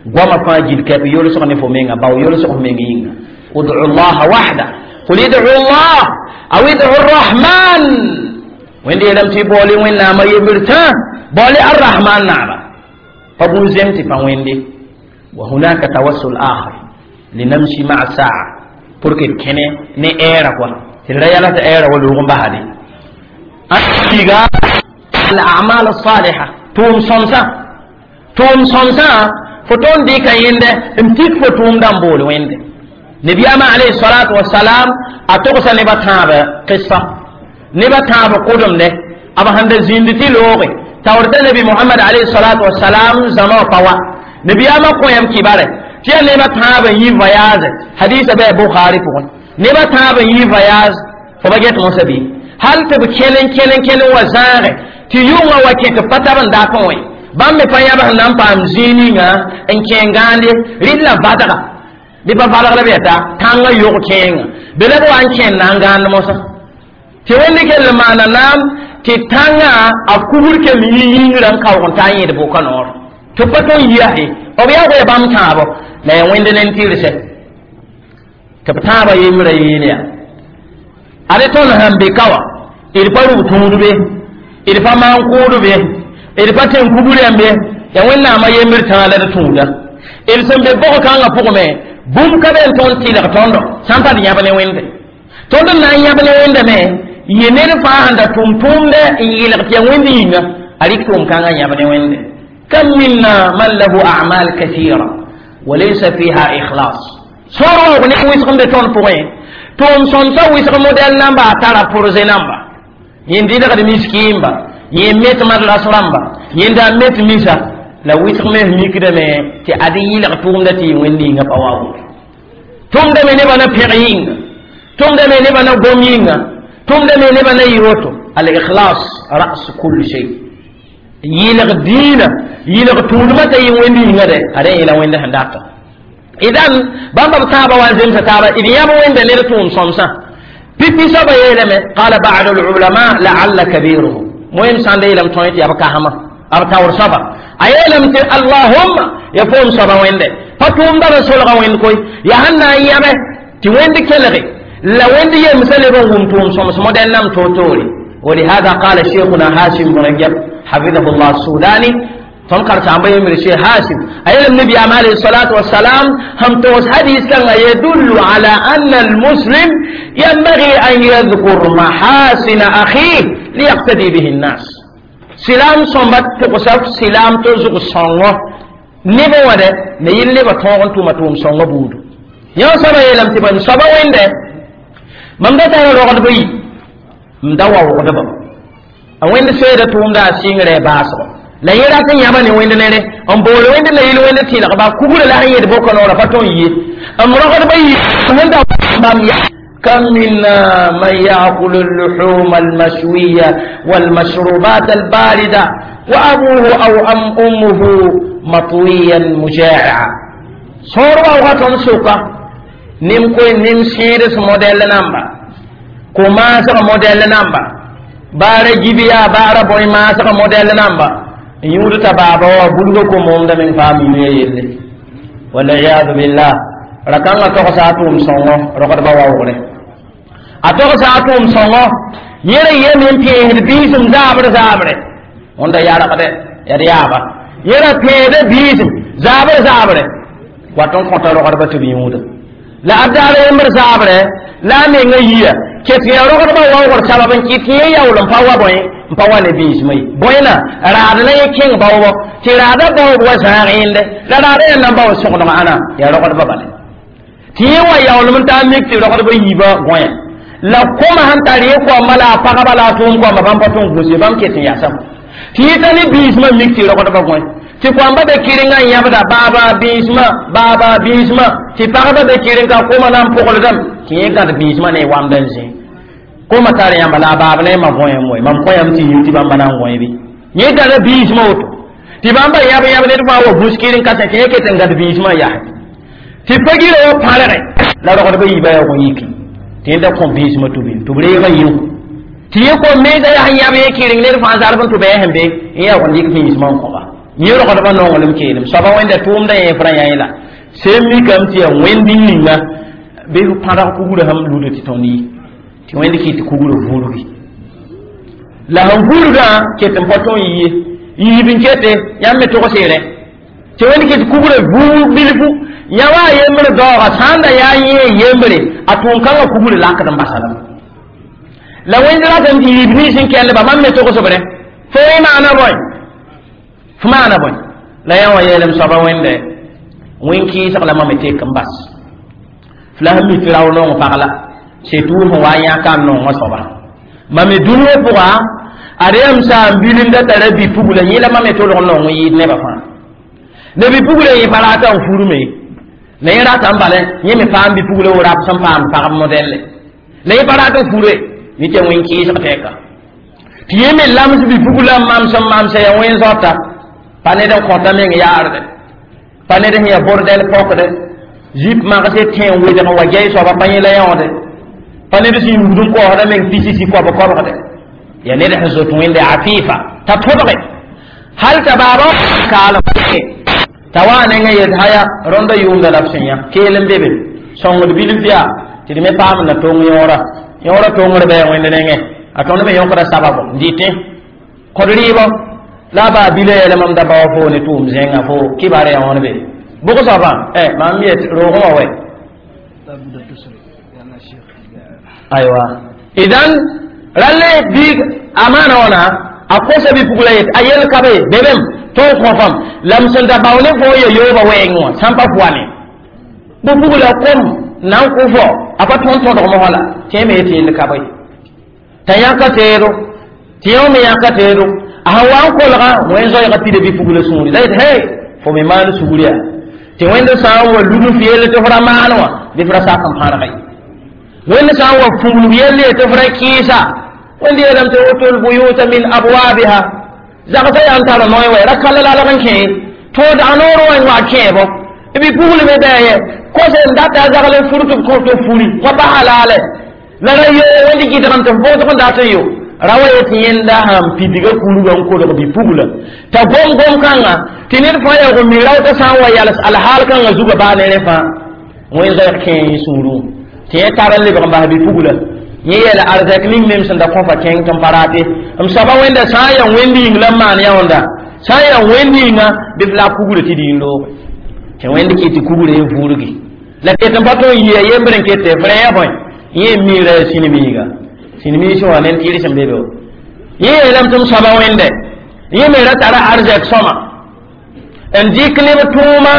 goama fãa gil kɛp yolsg ne fo menga bao yolsg f meng yĩnga ud'u llaha wahda qul id'u llah aw id'u arrahman wẽnd yeelame tɩ baoole wẽnnaamã yembr tã baoole arrahman naaba pa bũn-zẽm tɩ pa wẽnde wa hunaka tawassul akhar linamshi maa saa pour que d kẽne ne ɛɛra kɔa tɩ d ra yala tɩ ɛɛra wa loog n basde tiga al a'mal as-saliha tʋʋm sõmsã tʋʋm sõmsã fo tõnd dɩka yẽnde n tik fo tʋʋmdã n bool wẽnde nabiyama alayhi salatu wassalam a togsa nebã tãab qissa nebã tãab kʋdemde b sẽn da zĩnd tɩ looge taoor t'a nabi mohamad alayhi salatu wassalam zãma wã pa wa nabiyama kõ yam kibare tɩ yaa nebã tãab n yi voyage hadisa bɩ a bukhari pʋgẽ nebã tãab n yi voyage fo ba get mosã bɩ hal tɩ b kẽl n kẽl n kẽl n wa zãage tɩ yʋngã wa kẽ tɩ pa tab n dat n wẽ bãmb me pa yãb sẽn na n paam zĩig ninga n kẽ gãande rɩd la vadga bɩ pa valg la b yɛta tãngã yog kẽenga be la b wa n kẽnd na n gãand mosã tɩ wẽnd kell n maana naam tɩ tãngã a kubr kell yĩ yĩngrã n kaoog n ta n yẽd bʋka noor tɩ pa tõn yiase b yaa goa bãmb tãabo la ya wẽnd ne n tɩrse tɩ b tãabã yembrã yeel yaa ade tõnd sẽn be ka wã d pa rug tũud be d pa maan kʋʋd be d pa tẽn kubr yãmbe ya wẽnnaamã yembr tãa la d tũuda d sẽn be bog kãngã pʋgme bũmb ka be n tõnd tɩlg tõndo sã n pa d yãb ne wẽnde tõnd n na n yãb ne wẽnda me yɩ ned fãa sẽn da tʋm tʋʋmdɛ n yɩlg tɩ ya wẽnd yĩnga a rɩk tʋʋm kãngã yãb ne wẽnde kam minna man lahu a'mal kathira walaysa fiha ikhlas sõor waoog ne wɩsg n be tõnd pʋgẽ tʋʋm sõmsã wɩsg modɛl namba a tara pʋrze namba yẽnd dɩlgd miskiimba yẽ met madras rãmba yẽnda met misa la wɩsg me mikdame tɩ ad yɩlg tʋʋmda tɩ yɩ wẽnd yĩnga pa waoog tʋmda me nebã na pẽg yĩnga tʋmda me nebã na gom yĩnga tʋmda me nebã na yɩ woto al ikhlas ras kul shay yɩlg diinã yɩlg tũudmã t'a yɩ wẽnd yĩnga de ad yẽla wẽnd sẽn data idan bãmba b tãabã wa n zemsa taaba d yãb wẽnda ned tʋʋm sõmsã pipi soaba yeelame qala ba'du lulama laalla kabiruhum moyem sãn da yeelame tõe tɩ yaa b kasma b taoor soaba a yeelame tɩ allahumma ya foom soaba wẽnde pa tʋʋmda b solga wẽnd koy yaa sẽn na n yãbe tɩ wẽnd kelge la wẽnd yemsã leb n wʋm tʋʋm sõms modɛl nam toor-toore ولهذا قال شيخنا هاشم بن رجب حفظه الله السوداني tõnd karsaamba yembr شيخ هاشم أيلم النبي عليه الصلاة والسلام هم توس حديث كان يدل على أن المسلم ينبغي أن يذكر محاسن أخيه ليقتدي به الناس سلام صنبت تقصف سلام تزغ صنوه نبا وده نيل نبا تونغن توما توم صنوه بودو يا سبا يلم تبن سبا وين ده mam da tara rogd bɩ m da wa wogdba a wẽnd seeda tʋʋmda a sɩngre baasgo la yẽ rat n yãba ne wẽnd nere n bool wẽnd la yɩl wẽnd tɩlgba kugrã la sẽn yed bʋka noorã pa tõn ye m rogdba yɩ wẽnda bãmb ya كم منا من يأكل اللحوم المشوية والمشروبات الباردة وأبوه أو أم أمه مطويا مجاعا صور وغتهم سوكا نم كوي نم سيرس موديل نمبر كما موديل نمبر baara jibiya baara bõe maasga modɛl namba n yũud t'a baaba wa bulgo ko momda meng paam yũya yelle waliyadu billah Rakãngã togsa a tʋʋm sõngo rogdbã waoogre a togsa a tʋʋm sõngo yẽ ra yem n pẽesd biisem zaabr zaabre wẽnda yargde yaa d yaaba yẽ ra pẽesda biisem zaabr zaabre wat n kõta rogdbã tɩ b yũuda la a daar yembr zaabre la a menga yia ket yaa rogdbã waoogr sabab n kɩt tɩ yẽ yaool n pa wa bõe n pa wa ne biismã ye bõena raad la yẽ kẽng baoobɔ tɩ raada baoob wa zãag yẽnde la raada yaa nan bao sõgdg ãna yaa rogdbã bale tɩ yẽ wa yaoolem n taa mik tɩ rogdbã yiibã gõya la koma sẽn tar yẽ koamba la a pagba la a tʋʋm koamba bãmb pa tõn gũs ye bãmb ket n yasame tɩ yẽ ta ne biismã mik tɩ rogdbã gõe tɩ koamba be kɩrenga n yãbda baaba biismã baaba biismã tɩ pagba be kɩreng ka koma na n pʋgldame tɩ yẽ gãd biismã ne wamd n zĩ koma tar yãmba la a baab ne ma gõe n woe mam kõ yãmb tɩ yĩng tɩ bãmba na n gõe bɩ yẽ gãda biismã woto tɩ bãmba yãb yãb ned fãa wa gũs kɩreng ka tɩ yẽ ket n gãd biismã yaa tɩ pa-girã wa pãrge la rogdbã yiibã yaa gõ yiki tɩ yẽnda kõ biismã tʋ bĩm tɩ b reega yĩu tɩ yẽ kom mensa yaa sẽn yãb yẽ kɩreng ned fãa zarb n tʋ bɩ sẽn be n yaa gõ dɩk biismã n kõba yẽ rogdbã nonglem keelem soaba wẽnda tʋʋmda yẽ fra yã la sẽn mikame tɩ yaa wẽnd ninga bɩ f pãrg kugrã sãm luda tɩ tõnd yi tɩ wẽnd kɩ tɩ kugrã vurgi la sẽn vurgã ket n pa tõn yiye yiib n kete yãmb me togs-y rẽ tɩ wẽnd kɩ tɩ kugrã vuug bilfu yã wa a yembr daooga sã n da yaa yẽ yembre a tʋʋm kãngã kugrã lakd n basalame la wẽnd ratame tɩ yiib nins n kɛllba bãmb me togsb rẽ fo yẽ maana bõe f maana bõe la yã wã yeelem soaba wẽnde wẽn-kɩɩsg la mam tek n bas f la sẽn mi tɩ rao nong pag la setuur sẽn wa yãka n nongã soaba mam me dũniyã pʋga ad yam sã n bilinda tara bi-pugla yẽ la mam me tolg n nong n yɩɩd nebã fãa ne bi-pugla yẽ pa rata n furme la yẽ rata n bala yẽ me paam bi-pugla wo rap sẽn paam pagb modɛlle la yẽ pa rat n fure yẽ tɩ wẽn-kɩɩsg tɛka tɩ yẽ me lams bi-pugla n mams n mamsa yaa wẽn-zoata pa ned n kõta meng yaarde pa ned sẽn yaa bordɛl pɔkde zip magse tẽ n wedg n wa gɛy soaba pa yẽ la yãoode pa ned sẽn yugd n koosda meng pisisi koab kobgde yaa ned sẽn zoet wẽnde afifa t'a tõdge hal t'a baaba kaalem t'a wa nengã yet haya rõnda yʋʋmda la b sẽn yã keel n be be sõngd bilf yaa tɩ d me paam na tong yõora yõora tongr bɩ wẽnd nengẽ a tõnd me yõkda sababo n dɩtẽ kod rɩɩbɔ la a baa bila yeela mam da baoa fo ne tʋʋm zẽngã fo kɩbar yaa wãn be bʋg soabã mam yet roogẽ wã wɛ
لابد تسرع لأن الشيخ
aywa idan ralle bi amana wana a kosa bi pugla yet a yel kabe bebem to kofam lam sẽn da bao ne fo ye yooba wɛɛngẽ wã sãn pa pʋane bʋ pugla kom na n kʋ fo a pa tõnd tõdg mosã la tɩ me yetɩ yell kabe t'a yãka teedo tɩ yõ me yãka teedo a sẽn wa n kolgã wẽn zoɛɛgã pida bɩ pugla sũuri la yet hey fo me maan sugr yaa tɩ wẽnd sã n wa lud f yell tɩ f ra maan wã bɩ f ra sak n pãrga ye wẽnd sã n wa fuglg yell ye tɩ f ra kɩɩsa wẽnd yeelame tɩ utul buyuta min abwabiha zagsã yaa n tar noe wɛ ra kal lalg n kẽ tõod a noor wã n wa kẽebo bɩ pugl me bɩ ye kos n data a zagl n fur tɩ b kõ tɩ furi wã pa halaale la ra yo wẽnd gɩdgem tɩ f bʋsg n dat n yo ra wa yetɩ yẽnda sãn pidga kulga n kolg bɩ pugla t'a gom gom kãnga tɩ ned fãa yaa mi raootã sã n wa yals alhaal kãngã zugã baa ne rẽ fãa wẽn zoɛɛg kẽ yẽ sũurẽ tɩ yẽ tar n lebg n bas bɩ pugla yẽ yeela arzɛk ning mem sẽn da kõfa kẽng tɩ n pa raate m soaba wẽnda sã n yaa wẽnd yĩng la n maan yãonda sã n yaa wẽnd yĩnga bɩ f la a kugrã tɩ d yĩn looge tɩ wẽnd kɩ tɩ kugrã ye vurgi la ket n pa tõe n yɩa yembr n kete f rẽ ya bõe yẽ miirã yaa sĩnmiiga sĩnmiisẽ wã ned tɩɩr sẽn be be yẽ yeelame tɩ m soaba wẽnde yẽ me ra tara arzɛk sõma n dɩk neb tʋʋma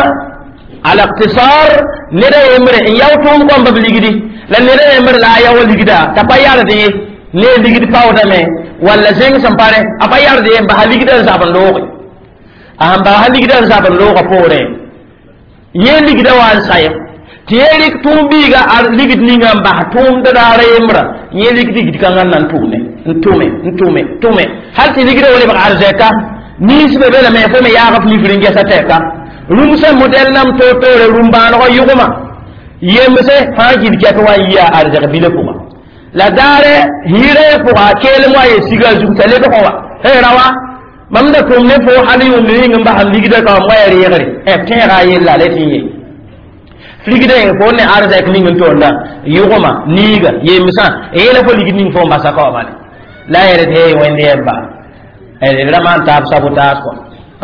al-iqtisar ned a yembre n yao tʋʋm kõmba b ligdi la ned a yembre la a yao ligda t'a pa yard ye ne ligd paoodame walla zẽng sẽn pa rẽ a pa yard ye n basa ligda n zab n looge a sẽn basa ligda n zab n loogã poorẽ yẽ ligda wa n sayem tɩ yẽ rɩk tʋʋm biiga a ligd ninga n bas tʋʋmd raara yembrã yẽ rɩk ligd kãngã n na n tʋʋme n tʋme n tʋme tʋme hal tɩ ligda wa lebg arzɛka nins be be lame fo me yaag f nifr n gɛsa tɛka rũmsã modɛl nam toor-toore rũm-bãanegã yʋgma yemse fãa gil kɛk wa n yia arzɛk bilã pʋga la daare hiirã pʋga keelem wa ye siga a zug t'a lebg wa hey rawa mam da tʋm ne fo hal yʋʋmd ning n basam ligda ka mam wa ya reegre b tẽega a yella la tɩ n ye Ligd fo ne arzɛk ning n tonda yʋgma niiga yemsã yeela fo ligd ning fo n basa kaoomale la a yɛl tɩ hey wẽnd yɛmba d ra maan taab sabotage kɔ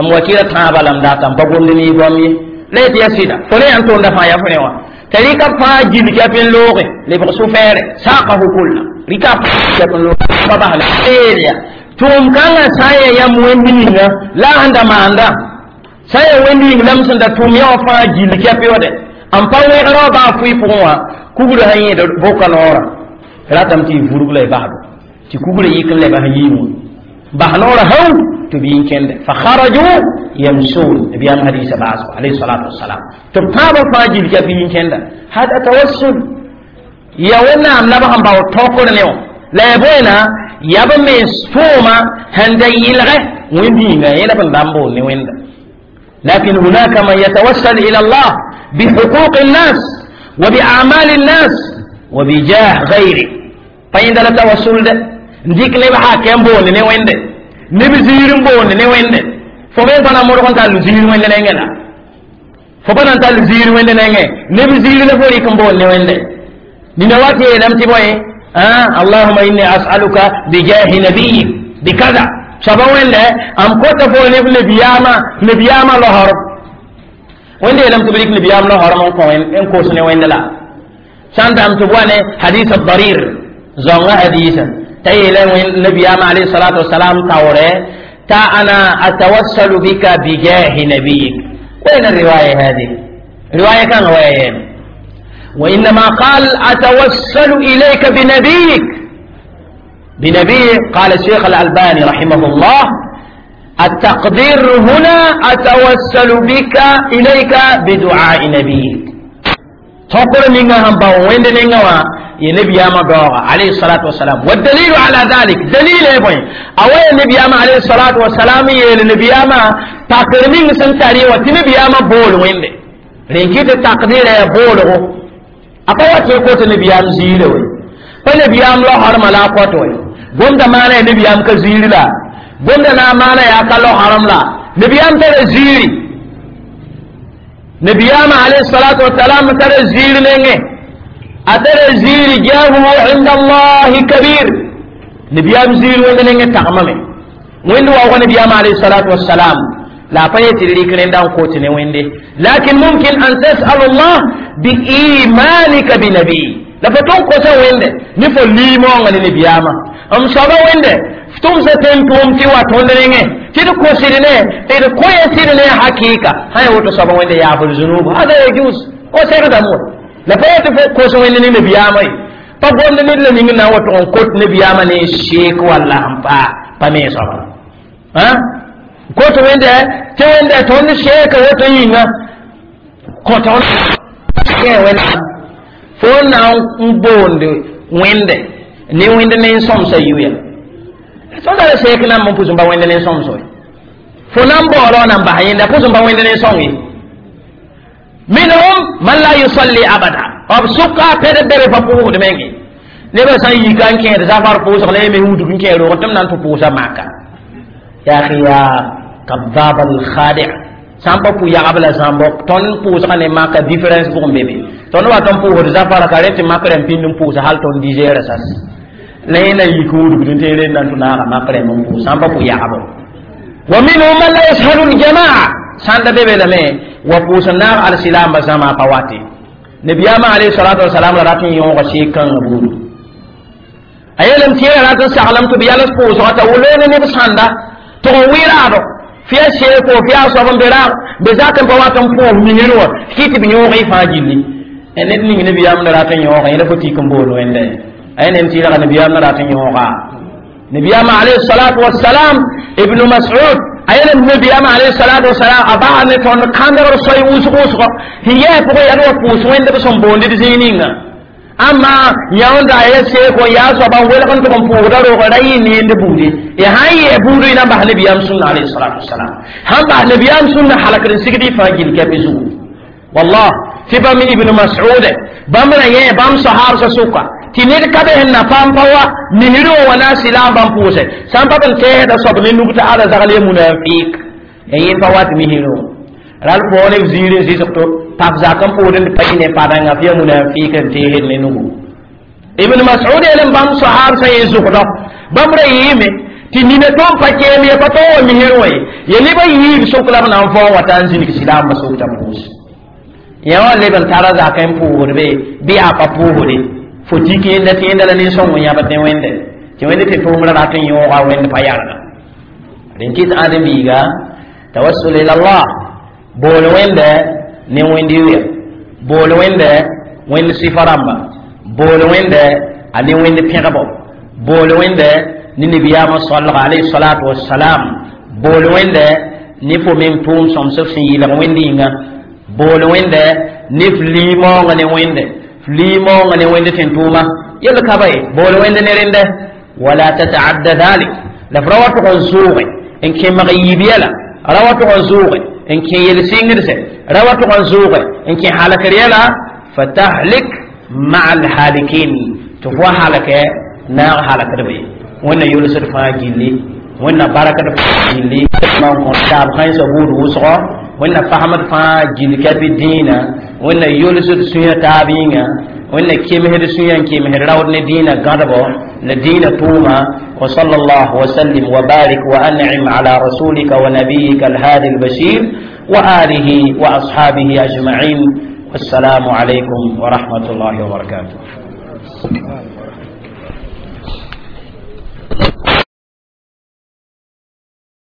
m wa kɩra tãabã la m data n pa gomd ne y goam ye la yetɩ ya sɩda fo ne yãn tonda fãa ya fo ne wã tɩ rɩka fãa gil kɛp n looge lebg sũ-fɛɛre saakahu kulla rɩka kɛp n looge pa basla ya tʋʋm kãngã sã n ya yãmb wẽnd ninga la a sẽn da maanda sã n ya wẽnd ning la m sẽn da tʋʋm yã wã fãa gil kɛp yoode n pa wẽgr wã baa fʋɩ pʋgẽ wã kugrã sã yẽed boka noorã ratame tɩ y vurg la y basdo tɩ kugrã yik n leba sẽn yiim wã bas noorã hau tɩ b yĩn kẽnde fa kharaju yamsun nabiyam hadisa baasgo alayhi salatu wassalam tɩ b tãabã fãa gil kɛp yĩn kẽnda hada tawassul ya wẽnnaam la b sẽn bao tõkr ne wã la ya boena ya b mens tʋʋma sẽn da yɩlgɛ wẽnd yĩnga yẽla b n dãmb bool ne wẽnda لكن هناك من يتوسل إلى الله بحقوق الناس وبأعمال الناس وبجاه غيره فإن لا توسل ده نديك نبي حاكم بون ne wende neb ziir n boonde ne wẽnde fo me pa na modg n tall ziir wẽnde nengẽ la fo pa na n tall ziir wẽnde nengẽ neb ziir la fo rɩk n boond ne wẽnde nina wa tɩ yeelame tɩ bõe allahuma inni as'aluka bijahi nabiyik bikaza soaba wẽnde m kota fo neb nabiyaamã nabiyaamã laorb wẽnde yeelame tɩ b rɩk nabiyaam laorem n kõ n kos ne wẽnde la sã n dam tɩ b wa ne hadis darir zãongã hadisa t'a yeela nabiyaamã alayhi salatu wasalam taoore ta ana atawassalu bika bijahi nabiyik وين الرواية هذه؟ رواية كان رواية وإنما قال أتوسل إليك بنبيك بنبيك قال الشيخ الألباني رحمه الله التقدير هنا أتوسل بك إليك بدعاء نبيك تقول نيغا هم باو وين نيغا يا نبي ما دوغا عليه الصلاة والسلام والدليل على ذلك دليل يبين أو النبي ما عليه الصلاة والسلام يا النبي ما تقرمين سنتاري وتنبي ما بول وين رينكيت التقدير يا بول apa wate ko to nabiyam zire we pa nabiyam lo har mala ko to we gonda mana nabiyam ka ziri la gonda na mana ya ka lo haram la nabiyam tare ziri nabiyam alayhi salatu wa salam tare ziri nenge atare ziri jahu inda allah kabir nabiyam ziri wanda nenge takmame wanda wa nabiyam alayhi salatu wa salam la pa yetɩ rɩk rẽnda n kot ne wẽnde lakin mumkin an tasal allah biimanika binabi la fa tõn kosa wẽnde ne fo liimoongã ne nabiyaamã m soaba wẽnde f tʋmsa tẽn tʋʋm tɩ wa tõnd rengẽ tɩ d kosd ne d koɛɛsd ne hakɩɩka sã ya woto soaba wẽnde yaafd zunub hada yajuz o segdame wa la pa yetɩ fo kos wẽnde ne nabiyaamã ye pa gomd ned la ning na n wa tʋg n kot nabiyaamã ne n seek walla sẽn paa pa me soaba kot wẽnde tɩ wẽnde tõnd seeka woto yĩnga kõt wẽnda fo na n boond wẽnde ne wẽnd ne n sõmsa yuya tõnd ra seek nan n pʋs n pa wẽnd ne n sõms we fo na n baoolg nan bas yẽnda pʋs n pa wẽnd ne n sõng ye minhum man la yusalli abada b sʋka pɛd bɛrɛ pa pʋʋsd menge nebã sã n yika n kẽed zafar pʋʋsg la yẽ me wudg n kẽ roog tɩ m na n tɩ pʋʋsa maka ya akhi ya kadab al khadi' sã n pa pʋ yagb la zãmbɔ tõnd pʋʋsgã ne maka différence pʋgẽ be be tõnd wa tõnd pʋʋsd zafara ka rẽ tɩ mak rẽmb pĩnd n pʋʋsa hal tõnd dix heures sas la yẽ na yik wudgd n tɩ rend na n tʋ naaga mak rẽmb n pʋʋs sã n pa pʋ yagbo wa minhum man la yashhadu aljamaa sãn da be be lame wa pʋʋs n naag alsilamba zãma pa wate nabiyama alayhi salatu wasalam la rat n yõoga seek kãngã buudu a yeelame tɩ yẽ rat n saglem tɩ b yals pʋʋsgã t'a wʋloone neb sãnda tɩg n wɩ-raado fɩ ya seeko fɩ yaa soab n be raag be zak n pa wat n pʋʋs misir wã kɩ tɩ b yõog y fãa gilli ned ning nabiyaam na rat n yõoga yẽla fo tik n bool wẽnde a yẽ nem tɩ rag nabiyaam na rat n yõoga nabiyaam alayhi salatu wassalam ibnu mas'ud a yeelame nabiyaam alayhi salatu wassalam a baa ne tõnd kãndgr soy wʋsg wʋsgɔ sẽn yɛɛ pʋgẽ yaa wa pʋʋs wẽnd b sẽn boond d zĩig ninga amma yãonda ya seeko yaa soaba n welg n tʋg n pʋʋsda roogã ra yɩ neend buudi ya sãn yɛɛ buudu y na n bas nabiyaam sũnna alayhi salatu wassalam sãn bas nabiyaam sũnna halkd n sigd y fãa gil kɛpɩ zugu wallah tɩ bãmb ibn mas'ud bãmb ra yẽ bãmb sahabsã sʋka tɩ ned ka be sẽn na paam pa wa misr wã wa na n sɩlaam bãmb pʋʋsɛ sã n pa b n tɛɛsda soab ne nug t'a ala zagl ya munafiq ya yẽ pa wat misr wã ral pʋʋg ne b ziir n zɩsg to pak zak n pʋʋd n pa yɩ ne padãngã f yaa munafik n teesd ne nugu. Ibn Mas'ud yeelem bãmb sahab sã yẽ zʋgdɔ bãmb ra yɩɩme tɩ nina tõnd pa keem ye pa tõog wa misr wã ye ye nebã yiib sok la b na n vao wa t'a n zĩnig silaambã sok t'a pʋʋs yã wã leb n tara zak n pʋʋsd be bɩ yaa pa pʋʋsde fo tɩ kẽenda tẽenda la nin-sõng n yãbd ne Wẽnde tɩ Wẽnd tɩ tʋʋmrã rat n yõoga Wẽnd pa yarga rẽn kɩt ãdem-biiga tawassul ila Allah bool Wẽnde ne Wẽnd yʋya bool Wẽnde Wẽnd sɩfa rãmba bool Wẽnde a ne Wẽnd pẽgbo bool Wẽnde ne nabiyaamã soalga alayhi salatu wassalam bool Wẽnde ne fo meng tʋʋm sõmsb sẽn yɩlg Wẽnd yĩnga bool Wẽnde ne f limaoongã ne Wẽnde f limaoongã ne Wẽnd tẽn tʋʋma yel ka ba ye bool Wẽnd ne rẽnde wala tataadda dhalik la f ra wa tʋg n zʋʋge n kẽ mag yiib yɛla ra wa tʋg n zʋʋge n kẽ yel-sɩngdse ra wa tʋg n zʋʋge n kẽ halkr yɛla fatahlik maa alhalikin tɩ f wa halkɛ naag halkdb ye Wẽnna yʋlsd fãa gilli Wẽnna barakd fãa gilli man kõ taab kãensã buud wʋsgɔ Wẽnna fasmd fãa gill kɛpɩ dĩinã Wẽnna yʋlsd sũyã taab yĩnga Wẽnna kemsd sũyã n kemsd raood ne dĩinã gãdbo la dĩinã tʋʋma. Wa sallallahu wa sallim wa barik wa an'im ala rasulika wa nabiyika alhadi albashir wa alihi wa ashabihi ajma'in. Wassalamu alaykum wa rahmatullahi wa barakatuh.